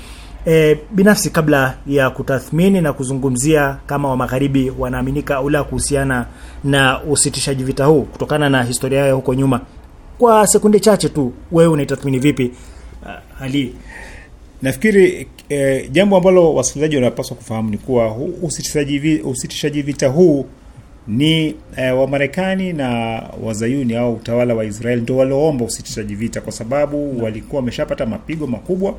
E, binafsi kabla ya kutathmini na kuzungumzia kama wa magharibi wanaaminika au la kuhusiana na usitishaji vita huu kutokana na historia yao huko nyuma, kwa sekunde chache tu, wewe unaitathmini vipi uh, Ali? Nafikiri eh, jambo ambalo wasikilizaji wanapaswa kufahamu ni kuwa usitishaji usitishaji vita huu ni eh, wa Marekani na Wazayuni au utawala wa Israel ndio walioomba usitishaji vita, kwa sababu no. walikuwa wameshapata mapigo makubwa no.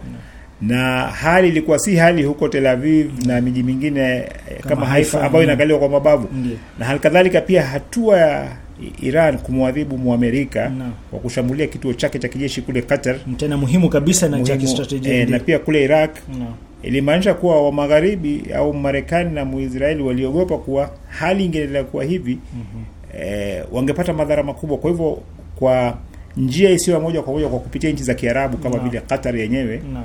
na hali ilikuwa si hali huko Tel Aviv mm. na miji mingine kama, kama Haifa ambayo inakaliwa kwa mabavu. Ndiye. Na hali kadhalika pia hatua ya Iran kumwadhibu Muamerika no. wa kushambulia kituo chake cha kijeshi kule Qatar, tena muhimu kabisa na cha kistratejia, eh, na pia kule Iraq no. ilimaanisha kuwa wa magharibi au Marekani na Muisraeli waliogopa kuwa hali ingeendelea kuwa hivi mm -hmm. eh, wangepata madhara makubwa. Kwa hivyo kwa njia isiyo moja kwa moja kwa kupitia nchi za Kiarabu kama vile no. Qatar yenyewe no.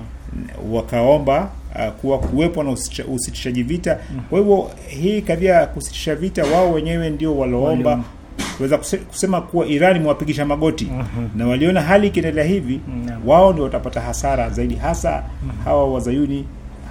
wakaomba uh, kuwa kuwepo na usitishaji vita. mm. Kwa hivyo hii kadhia ya kusitisha vita wao wenyewe ndio waloomba kuweza kusema kuwa Iran imewapigisha magoti. mm -hmm. Na waliona hali ikiendelea hivi mm -hmm. wao ndio watapata hasara zaidi, hasa mm -hmm. hawa Wazayuni.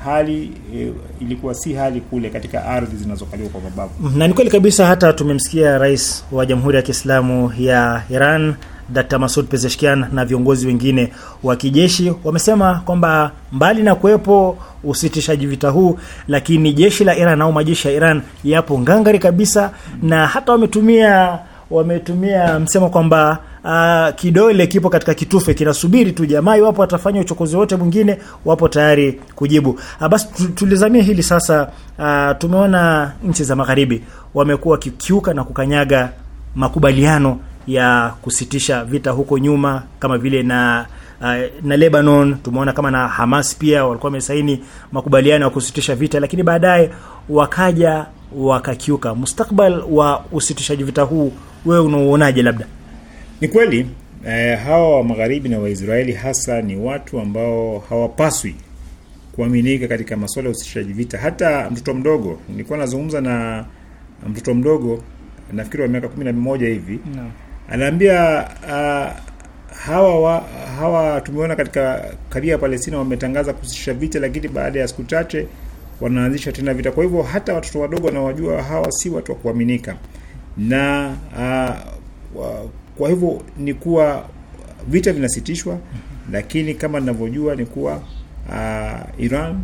Hali e, ilikuwa si hali kule katika ardhi zinazokaliwa kwa mabavu. Na ni kweli kabisa, hata tumemsikia Rais wa Jamhuri ya Kiislamu ya Iran Daktari Masoud Pezeshkian na viongozi wengine wa kijeshi wamesema kwamba mbali na kuwepo usitishaji vita huu, lakini jeshi la Iran au majeshi ya Iran yapo ngangari kabisa, na hata wametumia wametumia msemo kwamba uh, kidole kipo katika kitufe kinasubiri tu jamaa, iwapo atafanya uchokozi wote mwingine wapo tayari kujibu. Uh, basi tulizamia hili sasa. Uh, tumeona nchi za magharibi wamekuwa kikiuka na kukanyaga makubaliano ya kusitisha vita huko nyuma, kama vile na na Lebanon, tumeona kama na Hamas pia walikuwa wamesaini makubaliano ya kusitisha vita, lakini baadaye wakaja wakakiuka. Mustakbal wa usitishaji vita huu wewe unauonaje? Labda ni kweli eh, hawa wa magharibi na Waisraeli hasa ni watu ambao hawapaswi kuaminika katika masuala ya usitishaji vita. Hata mtoto mdogo, nilikuwa nazungumza na mtoto mdogo nafikiri wa miaka kumi na moja hivi no. Anaambia uh, hawa wa, hawa tumeona katika kadhia ya Palestina wametangaza kusitisha vita, lakini baada ya siku chache wanaanzisha tena vita. Kwa hivyo hata watoto wadogo wanawajua hawa si watu wa kuaminika. Na uh, wa, kwa hivyo ni kuwa vita vinasitishwa, mm-hmm. lakini kama ninavyojua ni kuwa uh, Iran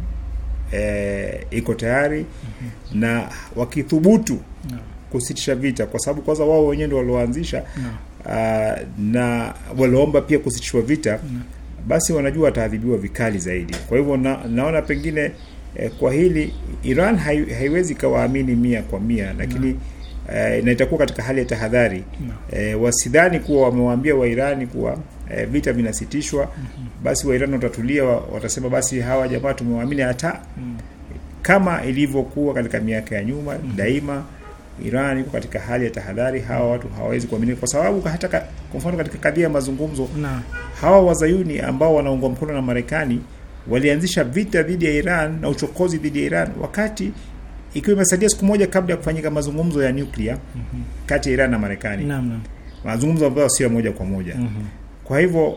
eh, iko tayari mm-hmm. na wakithubutu no. kusitisha vita, kwa sababu kwanza wao wenyewe ndio walioanzisha no. uh, na waliomba pia kusitishwa vita no. basi wanajua wataadhibiwa vikali zaidi. Kwa hivyo na, naona pengine eh, kwa hili Iran hai, haiwezi kawaamini mia kwa mia, lakini no. eh, na itakuwa katika hali ya tahadhari no. eh, wasidhani kuwa wamewaambia wa Irani kuwa eh, vita vinasitishwa mm -hmm. basi wa Iran watatulia, watasema basi hawa jamaa tumewaamini, hata mm. kama ilivyokuwa katika miaka ya nyuma mm -hmm. daima Iran iko katika hali ya tahadhari, hawa watu hawawezi kuaminika, kwa sababu hata kwa mfano katika kadhia ya mazungumzo na hawa Wazayuni ambao wanaungwa mkono na Marekani walianzisha vita dhidi ya Iran na uchokozi dhidi ya Iran wakati ikiwa imesalia siku moja kabla ya kufanyika mazungumzo ya nuclear mm -hmm. kati ya Iran na Marekani. Naam, naam. Mazungumzo ambayo sio moja kwa moja. Mm -hmm. Kwa hivyo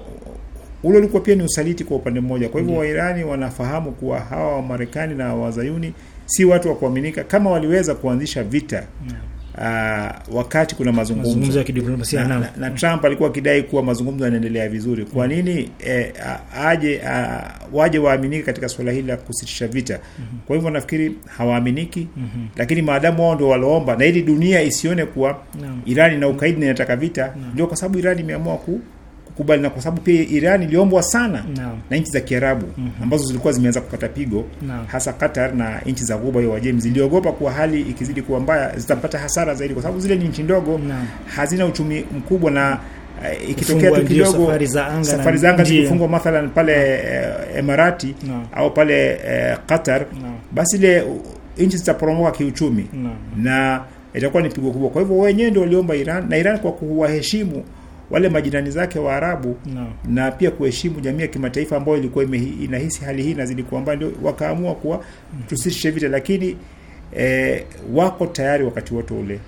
ule ulikuwa pia ni usaliti kwa upande mmoja. Kwa hivyo Wairani wanafahamu kuwa hawa wa Marekani na Wazayuni si watu wa kuaminika, kama waliweza kuanzisha vita uh, wakati kuna mazungumzo, mazungumzo ya kidiplomasia na, na, na Trump alikuwa akidai kuwa mazungumzo yanaendelea vizuri. Kwa nini eh, aje a, waje waaminike katika swala hili la kusitisha vita? mm -hmm. Kwa hivyo nafikiri hawaaminiki. mm -hmm. Lakini maadamu wao ndio waloomba, na ili dunia isione kuwa no. Iran ina ukaidi na inataka vita, ndio kwa sababu Iran imeamua ku kukubali, na kwa sababu pia Iran iliombwa sana no. na nchi za Kiarabu mm -hmm. ambazo zilikuwa zimeanza kupata pigo no. hasa Qatar na nchi za Ghuba ya Uajemi ziliogopa kuwa hali ikizidi kuwa mbaya zitapata hasara zaidi, kwa sababu zile ni nchi ndogo no. hazina uchumi mkubwa, na uh, ikitokea tu kidogo safari za anga, safari za anga zikifungwa mathalan pale no. Emirati no. au pale uh, Qatar no. basi ile nchi zitaporomoka kiuchumi no. na itakuwa ni pigo kubwa. Kwa hivyo wenyewe ndio waliomba Iran, na Iran kwa kuwaheshimu wale majirani zake wa Arabu no. na pia kuheshimu jamii ya kimataifa ambayo ilikuwa inahisi hali hii inazidi kuwa mbaya, ndio wakaamua kuwa tusitishe vita, lakini e, wako tayari wakati wote ule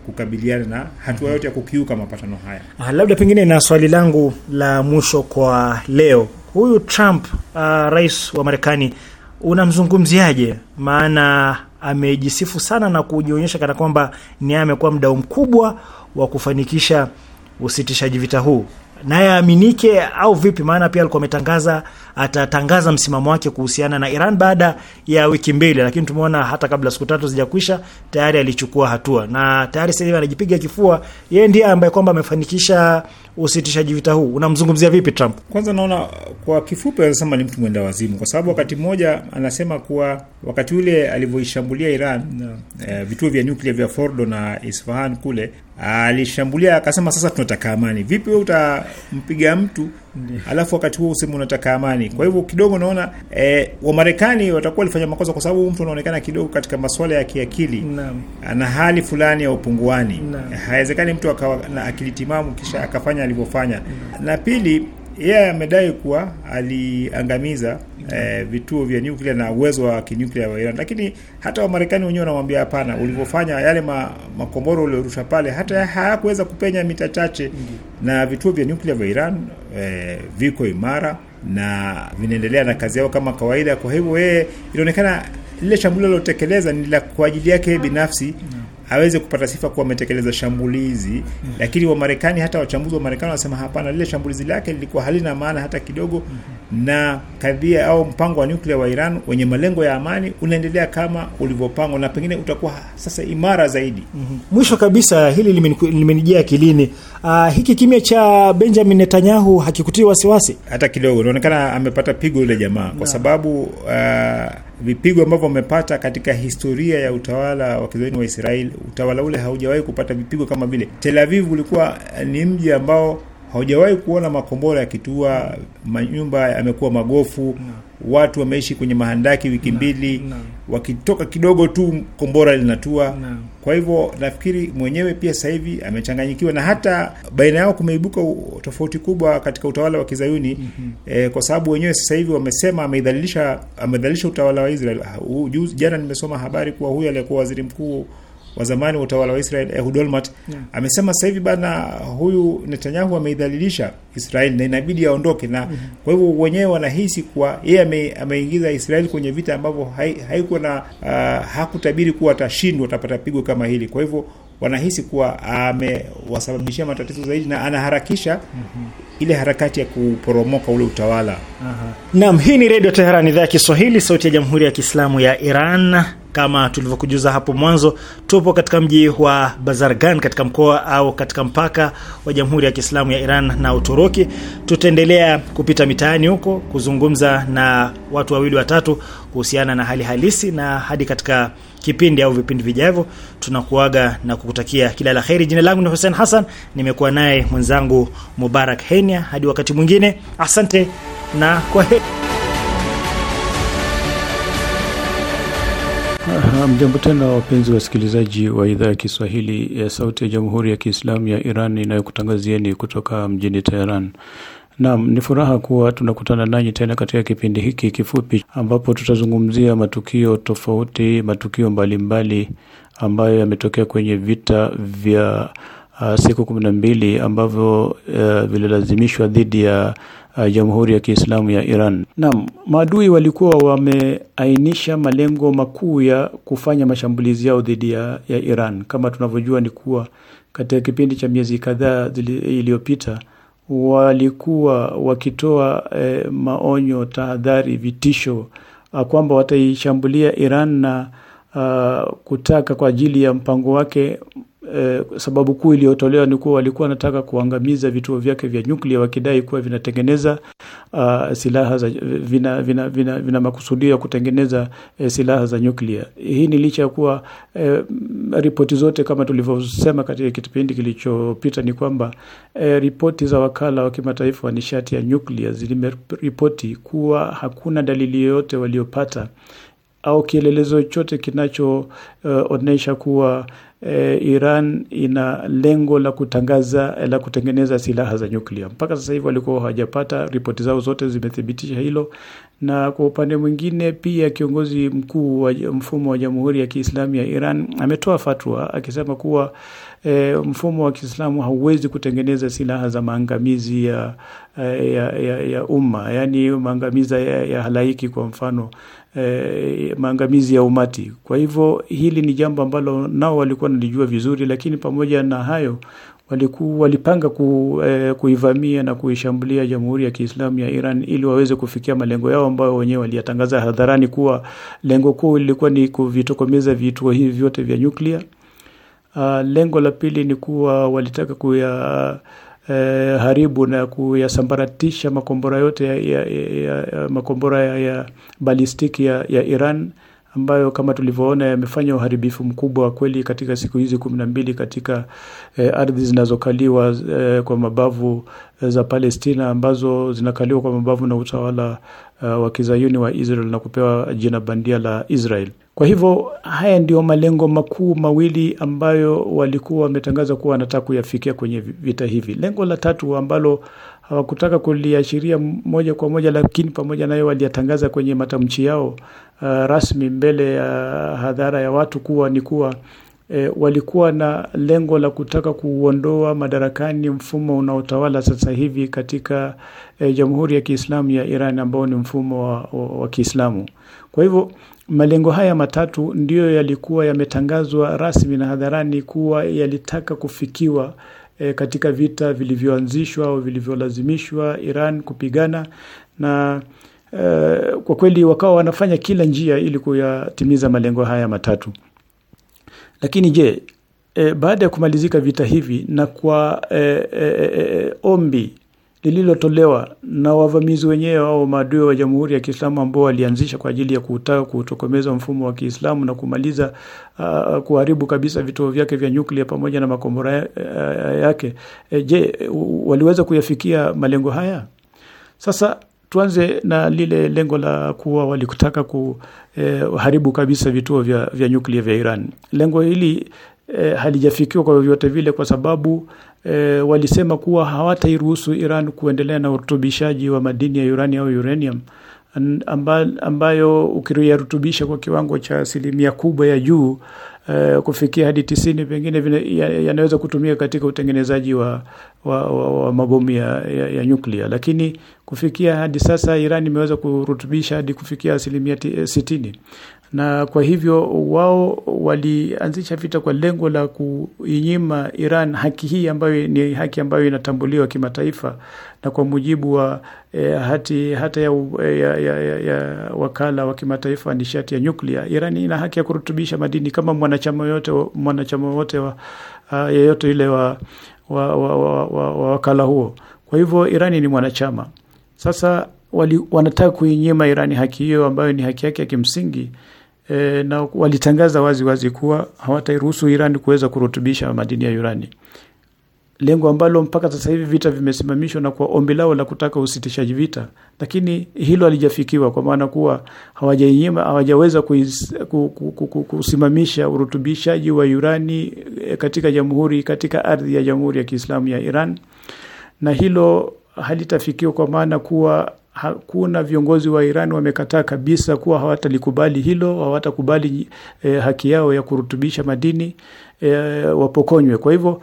kukabiliana na hatua yote ya kukiuka mapatano haya. Ah, labda pengine na swali langu la mwisho kwa leo. Huyu Trump, uh, rais wa Marekani, unamzungumziaje? Maana amejisifu sana na kujionyesha kana kwamba ni amekuwa mdau mkubwa wa kufanikisha usitishaji vita huu. Naye aaminike au vipi? Maana pia alikuwa ametangaza atatangaza msimamo wake kuhusiana na Iran baada ya wiki mbili, lakini tumeona hata kabla siku tatu zijakwisha tayari alichukua hatua, na tayari sasa hivi anajipiga kifua, yeye ndiye ambaye kwamba amefanikisha usitishaji vita huu. Unamzungumzia vipi Trump? Kwanza naona kwa kifupi anasema ni mtu mwenda wazimu, kwa sababu wakati mmoja anasema kuwa wakati ule alivyoishambulia Iran no. eh, vituo vya nyuklia vya Fordo na Isfahan kule alishambulia akasema sasa tunataka amani. Vipi wewe utampiga mtu alafu wakati huo useme unataka amani? Kwa hivyo kidogo naona eh, Wamarekani watakuwa walifanya makosa, kwa sababu mtu anaonekana kidogo katika masuala ya kiakili ana hali fulani ya upunguani. Haiwezekani mtu akawa na akili timamu kisha akafanya alivyofanya. Na pili, yeye amedai kuwa aliangamiza eh, vituo vya nyuklia na uwezo wa kinyuklia wa Iran, lakini hata Wamarekani wenyewe wanamwambia hapana, ulivyofanya yale ma, makombora uliorusha pale hata hayakuweza kupenya mita chache, na vituo vya nyuklia vya Iran eh, viko imara na vinaendelea na kazi yao kama kawaida. Kwa hivyo yeye inaonekana lile shambulio alilotekeleza ni la kwa ajili yake binafsi, aweze kupata sifa kuwa ametekeleza shambulizi mm. Lakini wa Marekani, hata wachambuzi wa Marekani wanasema hapana, lile shambulizi lake lilikuwa halina maana hata kidogo mm. na kadhia au mpango wa nyuklia wa Iran wenye malengo ya amani unaendelea kama ulivyopangwa na pengine utakuwa sasa imara zaidi. mm -hmm. Mwisho kabisa, hili limenijia akilini. Uh, hiki kimya cha Benjamin Netanyahu hakikutii wasiwasi hata kidogo. Inaonekana amepata pigo yule jamaa kwa sababu uh, vipigo ambavyo amepata katika historia ya utawala wa kizayuni wa Israel, utawala ule haujawahi kupata vipigo kama vile. Tel Aviv ulikuwa ni mji ambao haujawahi kuona makombora yakitua, manyumba yamekuwa magofu, no. watu wameishi kwenye mahandaki wiki mbili, no. no. wakitoka kidogo tu kombora linatua. No. Kwa hivyo nafikiri mwenyewe pia sasa hivi amechanganyikiwa, na hata baina yao kumeibuka tofauti kubwa katika utawala wa kizayuni. mm -hmm. E, kwa sababu wenyewe sasa hivi wamesema ameidhalilisha ameidhalilisha utawala wa Israel. Juzi jana nimesoma habari kuwa huyu aliyekuwa waziri mkuu wa zamani wa utawala wa Israel Ehud Olmert yeah. amesema sasa hivi bana huyu Netanyahu ameidhalilisha Israel na inabidi aondoke, na mm -hmm. kwa hivyo wenyewe wanahisi kuwa yeye ame, ameingiza Israel kwenye vita ambavyo haikuwa na uh, hakutabiri kuwa atashindwa, atapata pigo kama hili. Kwa hivyo wanahisi kuwa amewasababishia matatizo zaidi na anaharakisha mm -hmm. ile harakati ya kuporomoka ule utawala. Aha. Naam, hii ni Radio Tehran, idhaa ya Kiswahili, sauti ya Jamhuri ya Kiislamu ya Iran. Kama tulivyokujuza hapo mwanzo, tupo katika mji wa Bazargan katika mkoa au katika mpaka wa Jamhuri ya Kiislamu ya Iran na Uturuki. Tutaendelea kupita mitaani huko kuzungumza na watu wawili watatu kuhusiana na hali halisi, na hadi katika kipindi au vipindi vijavyo tunakuaga na kukutakia kila la kheri. Jina langu ni Hussein Hassan, nimekuwa naye mwenzangu Mubarak Henia. Hadi wakati mwingine, asante na kwaheri. Mjambo tena wapenzi wasikilizaji wa idhaa ya Kiswahili ya Sauti ya Jamhuri ya Kiislamu ya Iran inayokutangazieni kutoka mjini Tehran. Naam, ni furaha kuwa tunakutana nanyi tena katika kipindi hiki kifupi ambapo tutazungumzia matukio tofauti, matukio mbalimbali ambayo yametokea kwenye vita vya uh, siku kumi na mbili ambavyo uh, vililazimishwa dhidi ya uh, Jamhuri ya Kiislamu ya Iran. Naam, maadui walikuwa wameainisha malengo makuu ya kufanya mashambulizi yao dhidi ya, ya Iran. Kama tunavyojua ni kuwa katika kipindi cha miezi kadhaa iliyopita walikuwa wakitoa eh, maonyo, tahadhari, vitisho kwamba wataishambulia Iran na uh, kutaka kwa ajili ya mpango wake. Eh, sababu kuu iliyotolewa ni kuwa walikuwa wanataka kuangamiza vituo vyake vya nyuklia wakidai kuwa vinatengeneza uh, silaha za vina vina, vina, vina makusudio ya kutengeneza eh, silaha za nyuklia. Hii ni licha ya kuwa eh, ripoti zote kama tulivyosema katika kipindi kilichopita ni kwamba eh, ripoti za wakala wa kimataifa wa nishati ya nyuklia zimeripoti kuwa hakuna dalili yoyote waliopata au kielelezo chochote kinachoonyesha uh, kuwa e, Iran ina lengo la kutangaza la kutengeneza silaha za nyuklia. Mpaka sasa hivi walikuwa hawajapata, ripoti zao zote zimethibitisha hilo. Na kwa upande mwingine pia kiongozi mkuu wa mfumo wa Jamhuri ya Kiislamu ya Iran ametoa fatwa akisema kuwa e, mfumo wa Kiislamu hauwezi kutengeneza silaha za maangamizi ya ya, ya, ya umma, yani maangamizi ya, ya halaiki, kwa mfano e, maangamizi ya umati. Kwa hivyo hili ni jambo ambalo nao walikuwa wanalijua vizuri, lakini pamoja na hayo walikuwa walipanga ku, eh, kuivamia na kuishambulia Jamhuri ya Kiislamu ya Iran ili waweze kufikia malengo yao ambayo wenyewe waliyatangaza hadharani kuwa lengo kuu lilikuwa ni kuvitokomeza vituo hivi vyote vya nyuklia. Uh, lengo la pili ni kuwa walitaka kuya eh, haribu na kuyasambaratisha makombora yote ya, ya, ya, ya makombora ya, ya balistiki ya, ya Iran ambayo kama tulivyoona yamefanya uharibifu mkubwa kweli katika siku hizi kumi na mbili katika eh, ardhi zinazokaliwa eh, kwa mabavu eh, za Palestina ambazo zinakaliwa kwa mabavu na utawala eh, wa Kizayuni wa Israel na kupewa jina bandia la Israel. Kwa hivyo haya ndio malengo makuu mawili ambayo walikuwa wametangaza kuwa wanataka kuyafikia kwenye vita hivi. Lengo la tatu ambalo hawakutaka kuliashiria moja kwa moja, lakini pamoja nayo waliyatangaza kwenye matamshi yao uh, rasmi mbele ya hadhara ya watu kuwa ni kuwa e, walikuwa na lengo la kutaka kuondoa madarakani mfumo unaotawala sasa hivi katika e, Jamhuri ya Kiislamu ya Iran ambao ni mfumo wa, wa, wa Kiislamu. Kwa hivyo malengo haya matatu ndiyo yalikuwa yametangazwa rasmi na hadharani kuwa yalitaka kufikiwa e, katika vita vilivyoanzishwa au vilivyolazimishwa Iran kupigana, na e, kwa kweli wakawa wanafanya kila njia ili kuyatimiza malengo haya matatu. Lakini je, e, baada ya kumalizika vita hivi na kwa e, e, e, ombi lililotolewa na wavamizi wenyewe au maadui wa Jamhuri ya Kiislamu ambao walianzisha kwa ajili ya kutaka kutokomeza mfumo wa Kiislamu na kumaliza uh, kuharibu kabisa vituo vyake vya nyuklia pamoja na makombora yake, e, je, waliweza kuyafikia malengo haya? Sasa tuanze na lile lengo la kuwa walikutaka kuharibu eh, kabisa vituo vya, vya nyuklia vya Iran. Lengo hili eh, halijafikiwa kwa vyovyote vile kwa sababu eh, walisema kuwa hawatairuhusu Iran kuendelea na urutubishaji wa madini ya urani au uranium amba, ambayo ukirutubisha kwa kiwango cha asilimia kubwa ya juu eh, kufikia hadi tisini pengine yanaweza kutumika katika utengenezaji wa, wa, wa, wa mabomu ya, ya, ya nyuklia. Lakini kufikia hadi sasa Iran imeweza kurutubisha hadi kufikia asilimia sitini. Na kwa hivyo wao walianzisha vita kwa lengo la kuinyima Iran haki hii ambayo ni haki ambayo inatambuliwa kimataifa na kwa mujibu wa eh, hati hata ya, ya, ya, ya, ya wakala wa kimataifa wa nishati ya nyuklia. Iran ina haki ya kurutubisha madini kama mwanachama yote mwanachama wote wa uh, yeyote ile wa wa, wa, wa, wa, wa wakala huo. Kwa hivyo Iran ni mwanachama. Sasa wali, wanataka kuinyima Iran haki hiyo ambayo ni haki yake ya kimsingi. E, na walitangaza wazi wazi kuwa hawatairuhusu Iran kuweza kurutubisha madini ya urani. Lengo ambalo mpaka sasa hivi vita vimesimamishwa na kwa ombi lao la kutaka usitishaji vita, lakini hilo halijafikiwa kwa maana kuwa hawajainyima hawajaweza kusimamisha urutubishaji wa urani katika jamhuri katika ardhi ya Jamhuri ya Kiislamu ya Iran. Na hilo halitafikiwa kwa maana kuwa hakuna viongozi wa Iran wamekataa kabisa kuwa hawatalikubali hilo, hawatakubali eh, haki yao ya kurutubisha madini eh, wapokonywe. Kwa hivyo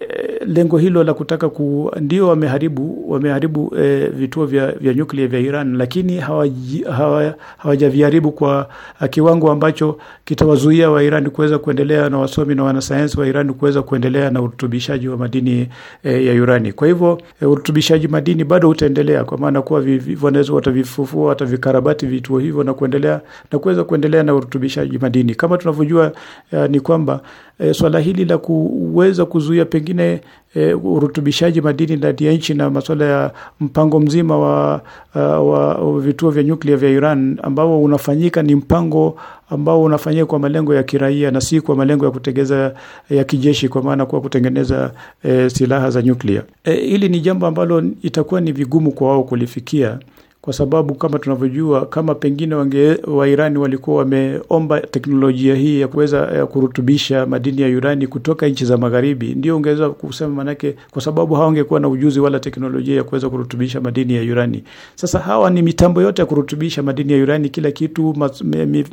eh, lengo hilo la kutaka ku, ndio wameharibu wameharibu eh, vituo vya vya nyuklia vya Iran, lakini hawaja hawajaviharibu kwa kiwango ambacho kitawazuia wa Iran kuweza kuendelea na wasomi na wanasayansi wa Iran kuweza kuendelea na urutubishaji wa madini eh, ya urani. Kwa hivyo eh, urutubishaji madini bado utaendelea kwa maana kuwa wanaweza watavifufua watavikarabati vituo hivyo na kuendelea na kuweza kuendelea na urutubishaji madini. Kama tunavyojua eh, ni kwamba eh, swala hili la kuweza kuzuia pengine e, urutubishaji madini ndani ya nchi na masuala ya mpango mzima wa, wa, wa vituo vya nyuklia vya Iran ambao unafanyika ni mpango ambao unafanyika kwa malengo ya kiraia na si kwa malengo ya kutegeza ya kijeshi, kwa maana kwa kutengeneza e, silaha za nyuklia. E, hili ni jambo ambalo itakuwa ni vigumu kwa wao kulifikia kwa sababu kama tunavyojua, kama pengine wange wa Irani walikuwa wameomba teknolojia hii ya kuweza ya kurutubisha madini ya urani kutoka nchi za magharibi, ndio ungeweza kusema, manake kwa sababu hawangekuwa na ujuzi wala teknolojia ya kuweza kurutubisha madini ya urani. Sasa hawa ni mitambo yote ya kurutubisha madini ya urani, kila kitu,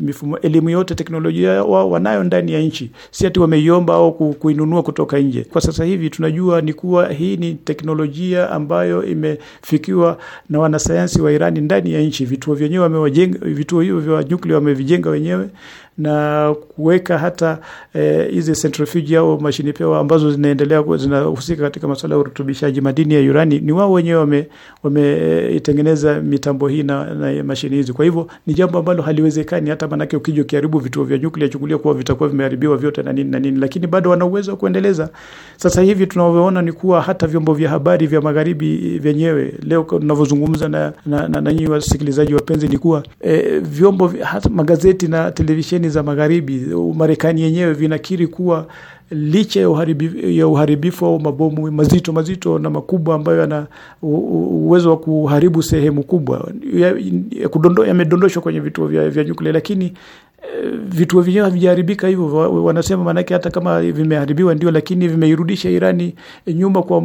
mifumo, elimu yote, teknolojia wao wanayo ndani ya nchi, si ati wameiomba au kuinunua kutoka nje. Kwa sasa hivi tunajua ni kuwa hii ni teknolojia ambayo imefikiwa na wanasayansi wa Irani ndani ya nchi. Vituo vyenyewe wamewajenga, vituo hivyo vya nyuklia wamevijenga wenyewe na kuweka hata hizi eh, centrifuge au mashini pewa ambazo zinaendelea zinahusika katika masuala ya urutubishaji madini ya urani, ni wao wenyewe wame wameitengeneza mitambo hii na, na mashini hizi. Kwa hivyo ni jambo ambalo haliwezekani, hata manake ukija ukiharibu vituo vya nyuklia, chukulia kuwa vitakuwa vimeharibiwa vyote na nini na nini, lakini bado wana uwezo wa kuendeleza. Sasa hivi tunavyoona ni kuwa hata vyombo vya habari vya magharibi vyenyewe leo tunavyozungumza na na, na, na nyinyi wasikilizaji wapenzi, ni kuwa e, vyombo hata magazeti na televisheni za magharibi, Marekani yenyewe vinakiri kuwa licha ya uharibifu, ya uharibifu au mabomu mazito mazito na makubwa ambayo yana uwezo wa kuharibu sehemu kubwa ya yamedondoshwa kwenye vituo vya, vya nyuklia, lakini vituo vyenyewe havijaharibika hivyo. Wanasema manake hata kama vimeharibiwa ndio, lakini vimeirudisha Irani nyuma kwa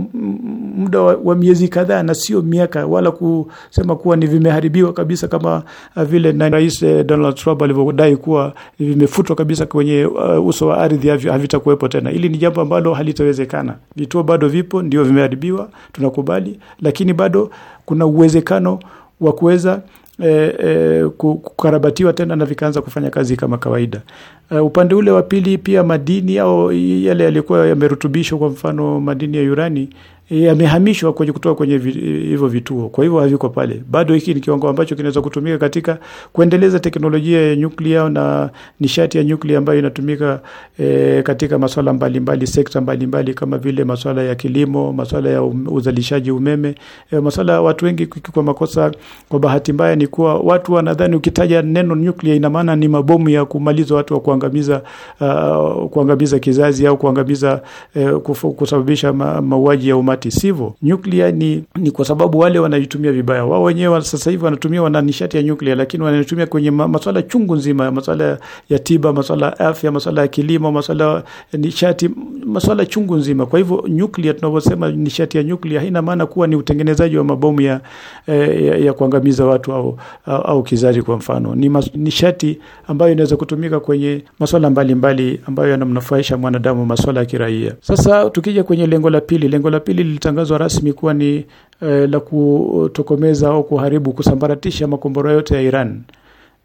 muda wa, wa miezi kadhaa na sio miaka, wala kusema kuwa ni vimeharibiwa kabisa kama vile na Rais Donald Trump alivyodai kuwa vimefutwa kabisa kwenye uh, uso wa ardhi, havitakuwepo tena. Hili ni jambo ambalo halitawezekana. Vituo bado vipo, ndio vimeharibiwa, tunakubali, lakini bado kuna uwezekano wa kuweza E, e, kukarabatiwa tena na vikaanza kufanya kazi kama kawaida. E, upande ule wa pili pia madini au yale yalikuwa yamerutubishwa, kwa mfano madini ya urani yamehamishwa kwenye kutoka kwenye hivyo vituo, kwa hivyo haviko pale bado. Hiki ni kiwango ambacho kinaweza kutumika katika kuendeleza teknolojia ya nyuklia na nishati ya nyuklia ambayo inatumika e, katika masuala mbalimbali, sekta mbalimbali kama vile masuala ya kilimo, masuala ya uzalishaji umeme, e, masuala watu wengi kwa makosa, kwa bahati mbaya ni kuwa watu wanadhani ukitaja neno nyuklia ina maana ni mabomu ya kumaliza watu wa kuangamiza uh, kuangamiza kizazi au kuangamiza eh, kusababisha ma, mauaji ya umati. Sivyo. Nyuklia ni, ni kwa sababu wale wanaitumia vibaya. Wao wenyewe sasa hivi wanatumia wana nishati ya nyuklia, lakini wanaitumia kwenye masuala chungu nzima, masuala ya tiba, masuala ya afya, masuala ya kilimo, masuala ya nishati, masuala chungu nzima. Kwa hivyo nyuklia, tunaposema nishati ya nyuklia haina maana kuwa ni utengenezaji wa mabomu ya, ya, ya kuangamiza watu au, au, au kizazi kwa mfano. Ni mas, nishati ambayo inaweza kutumika kwenye masuala mbalimbali ambayo yanamnufaisha mwanadamu, masuala ya kiraia. Sasa tukija kwenye lengo la pili, lengo la pili lilitangazwa rasmi kuwa ni eh, la kutokomeza au kuharibu, kusambaratisha makombora yote ya Iran.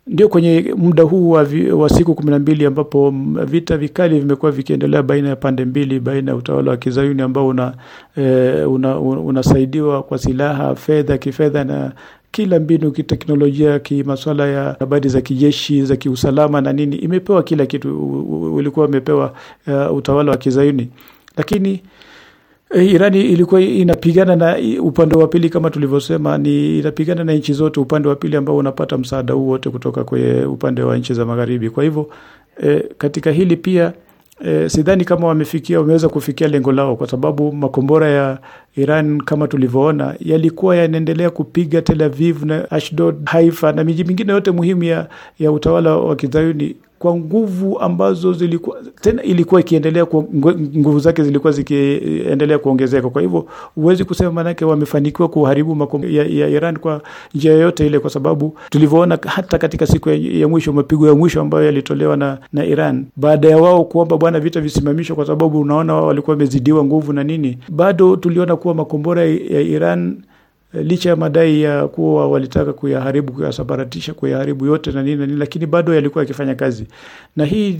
Ndio kwenye muda huu wa, vi, wa siku kumi na mbili ambapo vita vikali vimekuwa vikiendelea baina ya pande mbili, baina ya utawala wa Kizayuni ambao una, eh, una, unasaidiwa kwa silaha, fedha, kifedha na kila mbinu kiteknolojia, kimasuala ya habari za kijeshi, za kiusalama na nini, imepewa kila kitu, ulikuwa umepewa uh, utawala wa Kizayuni. Lakini Irani ilikuwa inapigana na upande wa pili, kama tulivyosema, ni inapigana na nchi zote upande wa pili ambao unapata msaada huu wote kutoka kwa upande wa nchi za magharibi. Kwa hivyo e, katika hili pia e, sidhani kama wamefikia wameweza kufikia lengo lao, kwa sababu makombora ya Iran kama tulivyoona yalikuwa yanaendelea kupiga Tel Aviv na Ashdod, Haifa na miji mingine yote muhimu ya, ya utawala wa Kizayuni kwa nguvu ambazo zilikuwa tena ilikuwa ikiendelea, nguvu zake zilikuwa zikiendelea kuongezeka. Kwa hivyo huwezi kusema manake wamefanikiwa kuharibu makombora ya, ya Iran kwa njia yoyote ile, kwa sababu tulivyoona hata katika siku ya, ya mwisho, mapigo ya mwisho ambayo yalitolewa na, na Iran baada ya wao kuomba bwana vita visimamishwe, kwa sababu unaona wao walikuwa wamezidiwa nguvu na nini, bado tuliona kuwa makombora ya Iran licha ya madai ya kuwa walitaka kuyaharibu, kuyasambaratisha, kuyaharibu yote na nini na nini, lakini bado yalikuwa yakifanya kazi. Na hii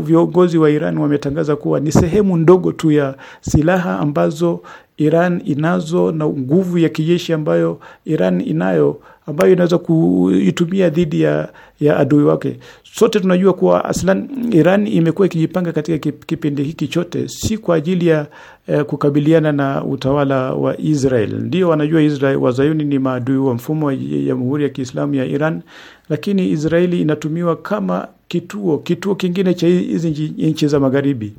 viongozi wa Iran wametangaza kuwa ni sehemu ndogo tu ya silaha ambazo Iran inazo na nguvu ya kijeshi ambayo Iran inayo, ambayo inaweza kuitumia dhidi ya, ya adui wake. Sote tunajua kuwa aslan Iran imekuwa ikijipanga katika kipindi hiki chote si kwa ajili ya eh, kukabiliana na utawala wa Israel. Ndio wanajua Israel, wazayuni ni maadui wa mfumo wa Jamhuri ya Kiislamu ya Iran, lakini Israeli inatumiwa kama kituo kituo kingine cha hizi nchi za magharibi.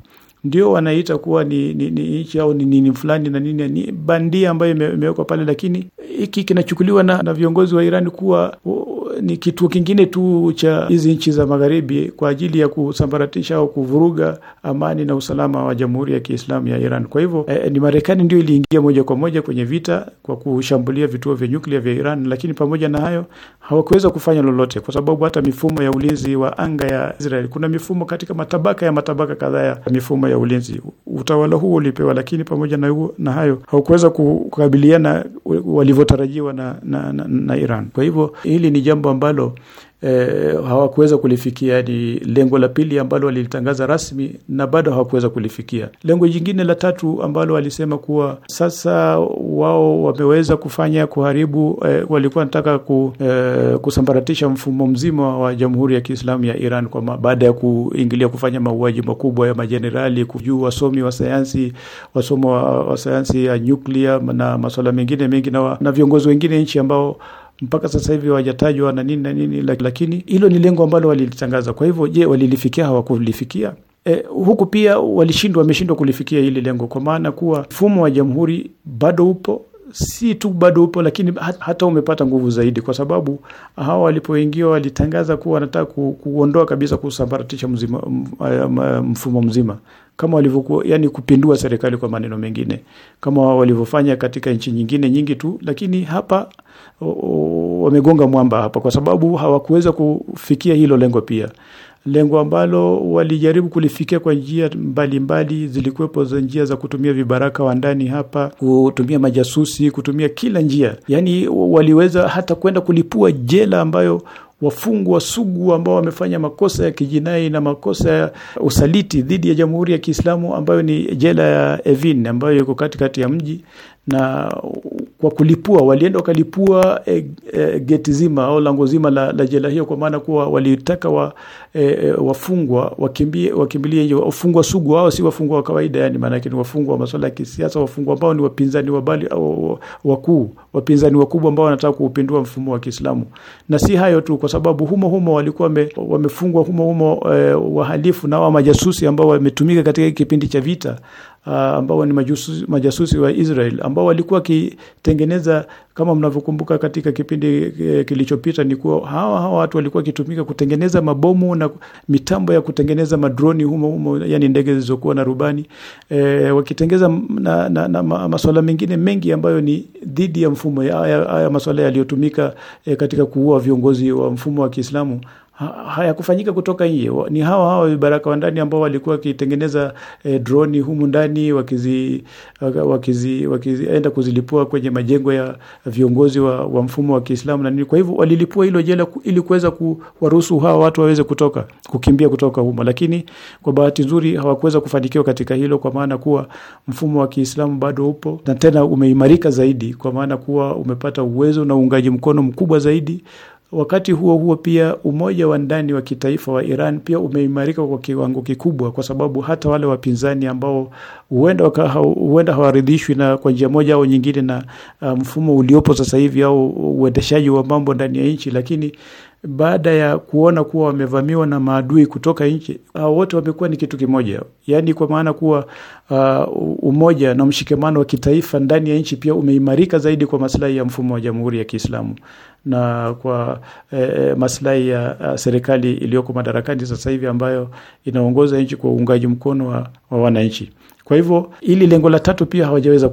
Ndio wanaita kuwa ni ni, ni nchi au ni nini fulani na nini, ni bandia ambayo imewekwa pale, lakini Hiki kinachukuliwa na, na viongozi wa Iran kuwa ni kituo kingine tu cha hizi nchi za magharibi kwa ajili ya kusambaratisha au kuvuruga amani na usalama wa Jamhuri ya Kiislamu ya Iran. Kwa hivyo eh, ni Marekani ndio iliingia moja kwa moja kwenye vita kwa kushambulia vituo vya nyuklia vya Iran, lakini pamoja na hayo hawakuweza kufanya lolote, kwa sababu hata mifumo ya ulinzi wa anga ya Israel, kuna mifumo katika matabaka ya matabaka kadhaa ya mifumo ya ulinzi utawala huo ulipewa, lakini pamoja na huo, na hayo hawakuweza kukabiliana walivyotarajiwa na, na, na, na Iran. Kwa hivyo hili ni jambo ambalo eh, hawakuweza kulifikia. Ni lengo la pili ambalo walilitangaza rasmi na bado hawakuweza kulifikia. Lengo jingine la tatu ambalo walisema kuwa sasa wao wameweza kufanya kuharibu, eh, walikuwa wanataka ku, eh, kusambaratisha mfumo mzima wa Jamhuri ya Kiislamu ya Iran kwa baada ya kuingilia kufanya mauaji makubwa ya majenerali, kujua wasomi wa sayansi, wasomo wa, wa sayansi ya nyuklia na masuala mengine mengi na, na viongozi wengine nchi ambao mpaka sasa hivi hawajatajwa na nini na nini, lakini hilo ni lengo ambalo walilitangaza. Kwa hivyo je, walilifikia? Hawakulifikia. E, huku pia walishindwa, wameshindwa kulifikia hili lengo, kwa maana kuwa mfumo wa jamhuri bado upo, si tu bado upo, lakini hata umepata nguvu zaidi, kwa sababu hawa walipoingia walitangaza kuwa wanataka ku, kuondoa kabisa, kusambaratisha mzima, mfumo mzima kama walivyokuwa, yani kupindua serikali kwa maneno mengine, kama walivyofanya katika nchi nyingine nyingi tu, lakini hapa wamegonga mwamba hapa, kwa sababu hawakuweza kufikia hilo lengo pia. Lengo ambalo walijaribu kulifikia kwa njia mbalimbali, zilikuwepo za njia za kutumia vibaraka wa ndani hapa, kutumia majasusi, kutumia kila njia. Yani waliweza hata kwenda kulipua jela ambayo wafungwa sugu ambao wamefanya makosa ya kijinai na makosa ya usaliti dhidi ya Jamhuri ya Kiislamu, ambayo ni jela ya Evin ambayo iko katikati ya mji, na kwa kulipua walienda wakalipua e, e, geti zima au lango zima la, la jela hiyo, kwa maana kuwa walitaka wa, e, e, wafungwa wakimbie, wakimbilie nje. Wafungwa sugu hao si wafungwa wa kawaida, yani maana yake ni wafungwa wa masuala ya kisiasa, wafungwa ambao ni wapinzani wabali au wakuu, wapinzani wakubwa ambao wanataka kuupindua mfumo wa Kiislamu. Na si hayo tu, kwa sababu humo humo walikuwa wamefungwa humo humo e, wahalifu na wa majasusi ambao wametumika katika kipindi cha vita, Uh, ambao ni majasusi, majasusi wa Israel ambao walikuwa wakitengeneza, kama mnavyokumbuka katika kipindi eh, kilichopita, ni kuwa hawa hawa watu walikuwa wakitumika kutengeneza mabomu na mitambo ya kutengeneza madroni humo humo, yani ndege zilizokuwa na rubani, eh, wakitengeza na, na, na masuala mengine mengi ambayo ni dhidi ya mfumo. Haya masuala yaliyotumika eh, katika kuua viongozi wa mfumo wa Kiislamu hayakufanyika kutoka nje, ni hawa hawa vibaraka wa ndani ambao walikuwa wakitengeneza eh, droni humu ndani, wakizi wakizi wakienda kuzilipua kwenye majengo ya viongozi wa, wa mfumo wa Kiislamu na nini. Kwa hivyo walilipua hilo jela ili kuweza kuwaruhusu hawa watu waweze kutoka, kukimbia kutoka humo, lakini kwa bahati nzuri hawakuweza kufanikiwa katika hilo, kwa maana kuwa mfumo wa Kiislamu bado upo na tena umeimarika zaidi, kwa maana kuwa umepata uwezo na uungaji mkono mkubwa zaidi. Wakati huo huo pia umoja wa ndani wa kitaifa wa Iran pia umeimarika kwa kiwango kikubwa, kwa sababu hata wale wapinzani ambao huenda huenda hawaridhishwi na kwa njia moja au nyingine na mfumo uliopo sasa hivi au uendeshaji wa mambo ndani ya nchi, lakini baada ya kuona kuwa wamevamiwa na maadui kutoka nchi, hao wote wamekuwa ni kitu kimoja. Yani kwa maana kuwa uh, umoja na mshikamano wa kitaifa ndani ya nchi pia umeimarika zaidi kwa maslahi ya mfumo wa Jamhuri ya Kiislamu na kwa eh, maslahi ya uh, serikali iliyoko madarakani sasa hivi ambayo inaongoza nchi kwa uungaji mkono wa, wa wananchi. Kwa hivyo hili lengo la tatu pia hawajaweza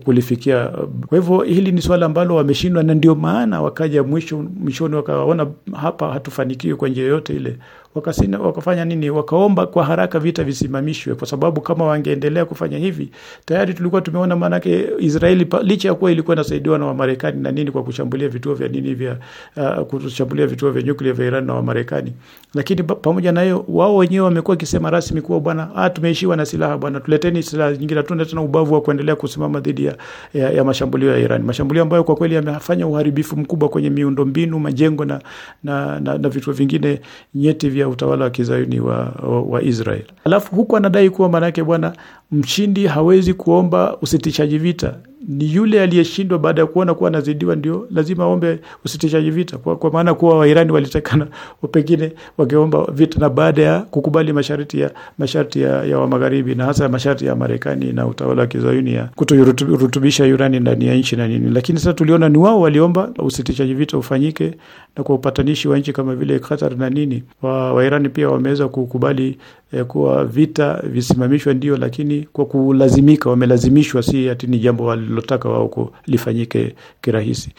kulifikia. Kwa hivyo hili ni swala ambalo wameshindwa, na ndio maana wakaja mwisho mwishoni wakaona hapa hatufanikiwi kwa njia yoyote ile. Wakasina, wakafanya nini? Wakaomba kwa haraka vita visimamishwe, kwa sababu kama wangeendelea kufanya hivi tayari tulikuwa tumeona, maanake Israeli licha ya kuwa ilikuwa inasaidiwa na Wamarekani na nini kwa kushambulia vituo vya nini vya uh, kushambulia vituo vya nyuklia vya Iran na Wamarekani, lakini pamoja na hiyo wao wenyewe wamekuwa kisema rasmi kuwa bwana, ah, tumeishiwa na silaha bwana, tuleteni silaha nyingine, hatuna tena ubavu wa kuendelea kusimama dhidi ya, ya, ya mashambulio ya Iran, mashambulio ambayo kwa kweli yamefanya uharibifu mkubwa kwenye miundombinu, majengo na na, na, na vituo vingine nyeti vya utawala wa kizayuni wa, wa, wa Israel. Alafu huku anadai kuwa manake bwana mshindi hawezi kuomba usitishaji vita. Ni yule aliyeshindwa baada ya kuona kuwa anazidiwa ndio lazima aombe usitishaji vita, kwa, kwa maana kuwa Wairani walitakana pengine wangeomba vita na baada ya kukubali masharti ya masharti ya, ya wa magharibi na hasa masharti ya Marekani na utawala wa Kizayuni ya kutorutubisha urani ndani ya nchi na nini. Lakini sasa tuliona ni wao waliomba usitishaji vita ufanyike, na kwa upatanishi wa nchi kama vile Qatar na nini, wa Wairani pia wameweza kukubali eh, kuwa vita visimamishwe ndio, lakini kwa kulazimika, wamelazimishwa, si ati ni jambo walilotaka wao kulifanyike kirahisi.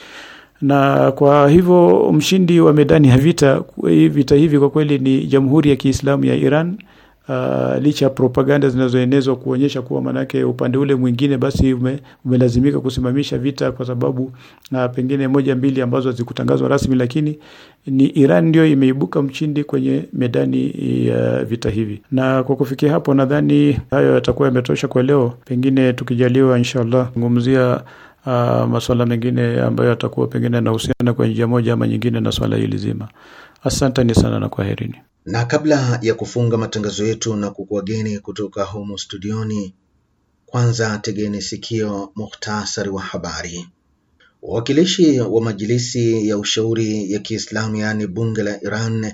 Na kwa hivyo mshindi wa medani ya vita vita hivi kwa kweli ni Jamhuri ya Kiislamu ya Iran. Uh, licha ya propaganda zinazoenezwa kuonyesha kuwa manake upande ule mwingine basi ume, umelazimika kusimamisha vita kwa sababu na pengine moja mbili ambazo hazikutangazwa rasmi, lakini ni Iran ndio imeibuka mshindi kwenye medani ya vita hivi. Na kwa kufikia hapo nadhani hayo yatakuwa yametosha kwa leo. Pengine tukijaliwa inshallah ngumzia uh, masuala mengine ambayo yatakuwa pengine yanahusiana kwa njia moja ama nyingine na swala hili zima. Asanteni sana na kwaherini. Na kabla ya kufunga matangazo yetu na kukuageni kutoka humu studioni, kwanza tegeni sikio muhtasari wa habari. Wawakilishi wa Majilisi ya Ushauri ya Kiislamu, yaani bunge la Iran,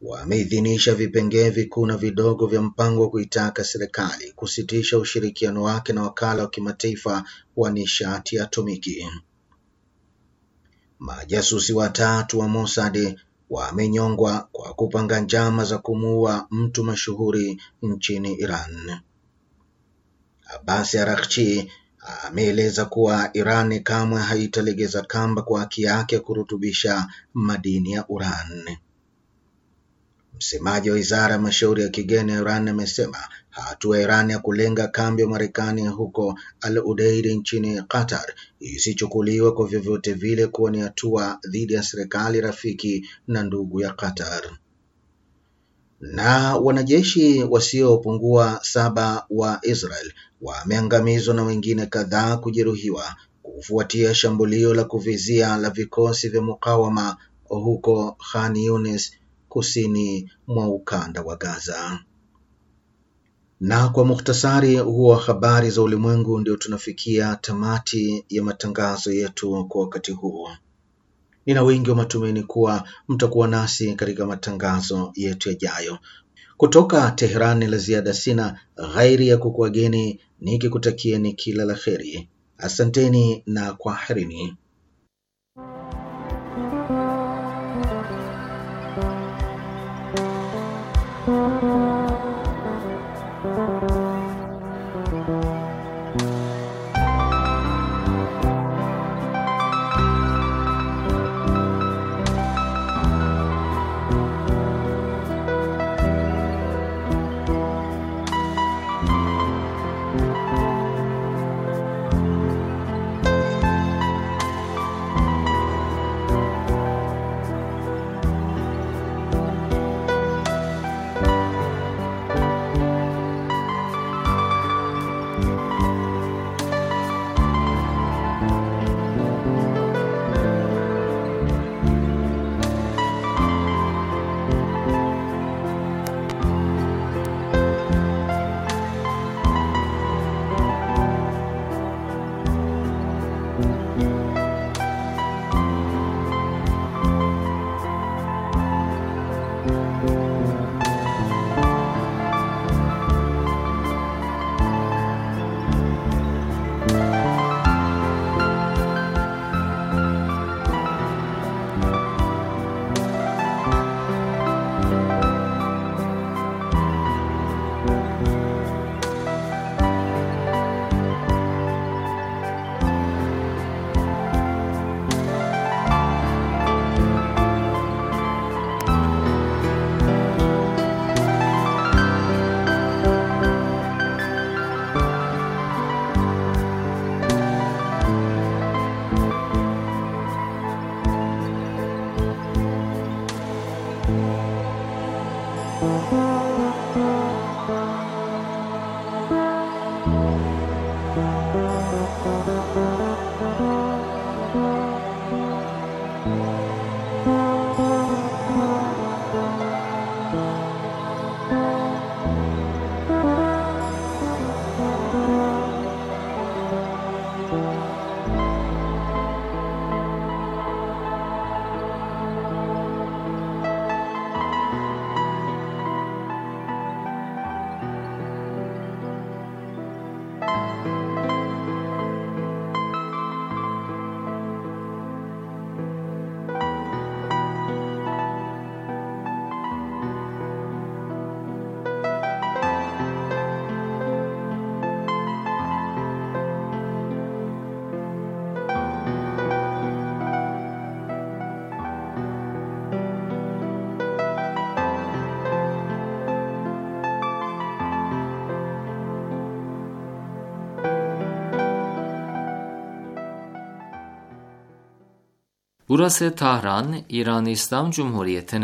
wameidhinisha vipengee vikuu na vidogo vya mpango wa kuitaka serikali kusitisha ushirikiano wake na wakala wa kimataifa wa nishati ya atomiki. Majasusi watatu wa Mossad wamenyongwa kwa kupanga njama za kumuua mtu mashuhuri nchini Iran. Abbas Araghchi ameeleza kuwa Iran kamwe haitalegeza kamba kwa haki yake ya kurutubisha madini ya uran. Msemaji wa Wizara ya Mashauri ya Kigeni ya Iran amesema hatua ya Iran ya kulenga kambi ya Marekani huko Al Udeid nchini Qatar isichukuliwe kwa vyovyote vile kuwa ni hatua dhidi ya serikali rafiki na ndugu ya Qatar. Na wanajeshi wasiopungua saba wa Israel wameangamizwa na wengine kadhaa kujeruhiwa kufuatia shambulio la kuvizia la vikosi vya mukawama huko Khan Yunis, kusini mwa ukanda wa Gaza. Na kwa muhtasari huo wa habari za ulimwengu, ndio tunafikia tamati ya matangazo yetu kwa wakati huu. Nina wingi wa matumaini kuwa mtakuwa nasi katika matangazo yetu yajayo. Kutoka Teherani la ziada sina ghairi ya kukuageni nikikutakieni kila la kheri. Asanteni na kwaherini. Burası Tahran, İran İslam Cumhuriyeti'nin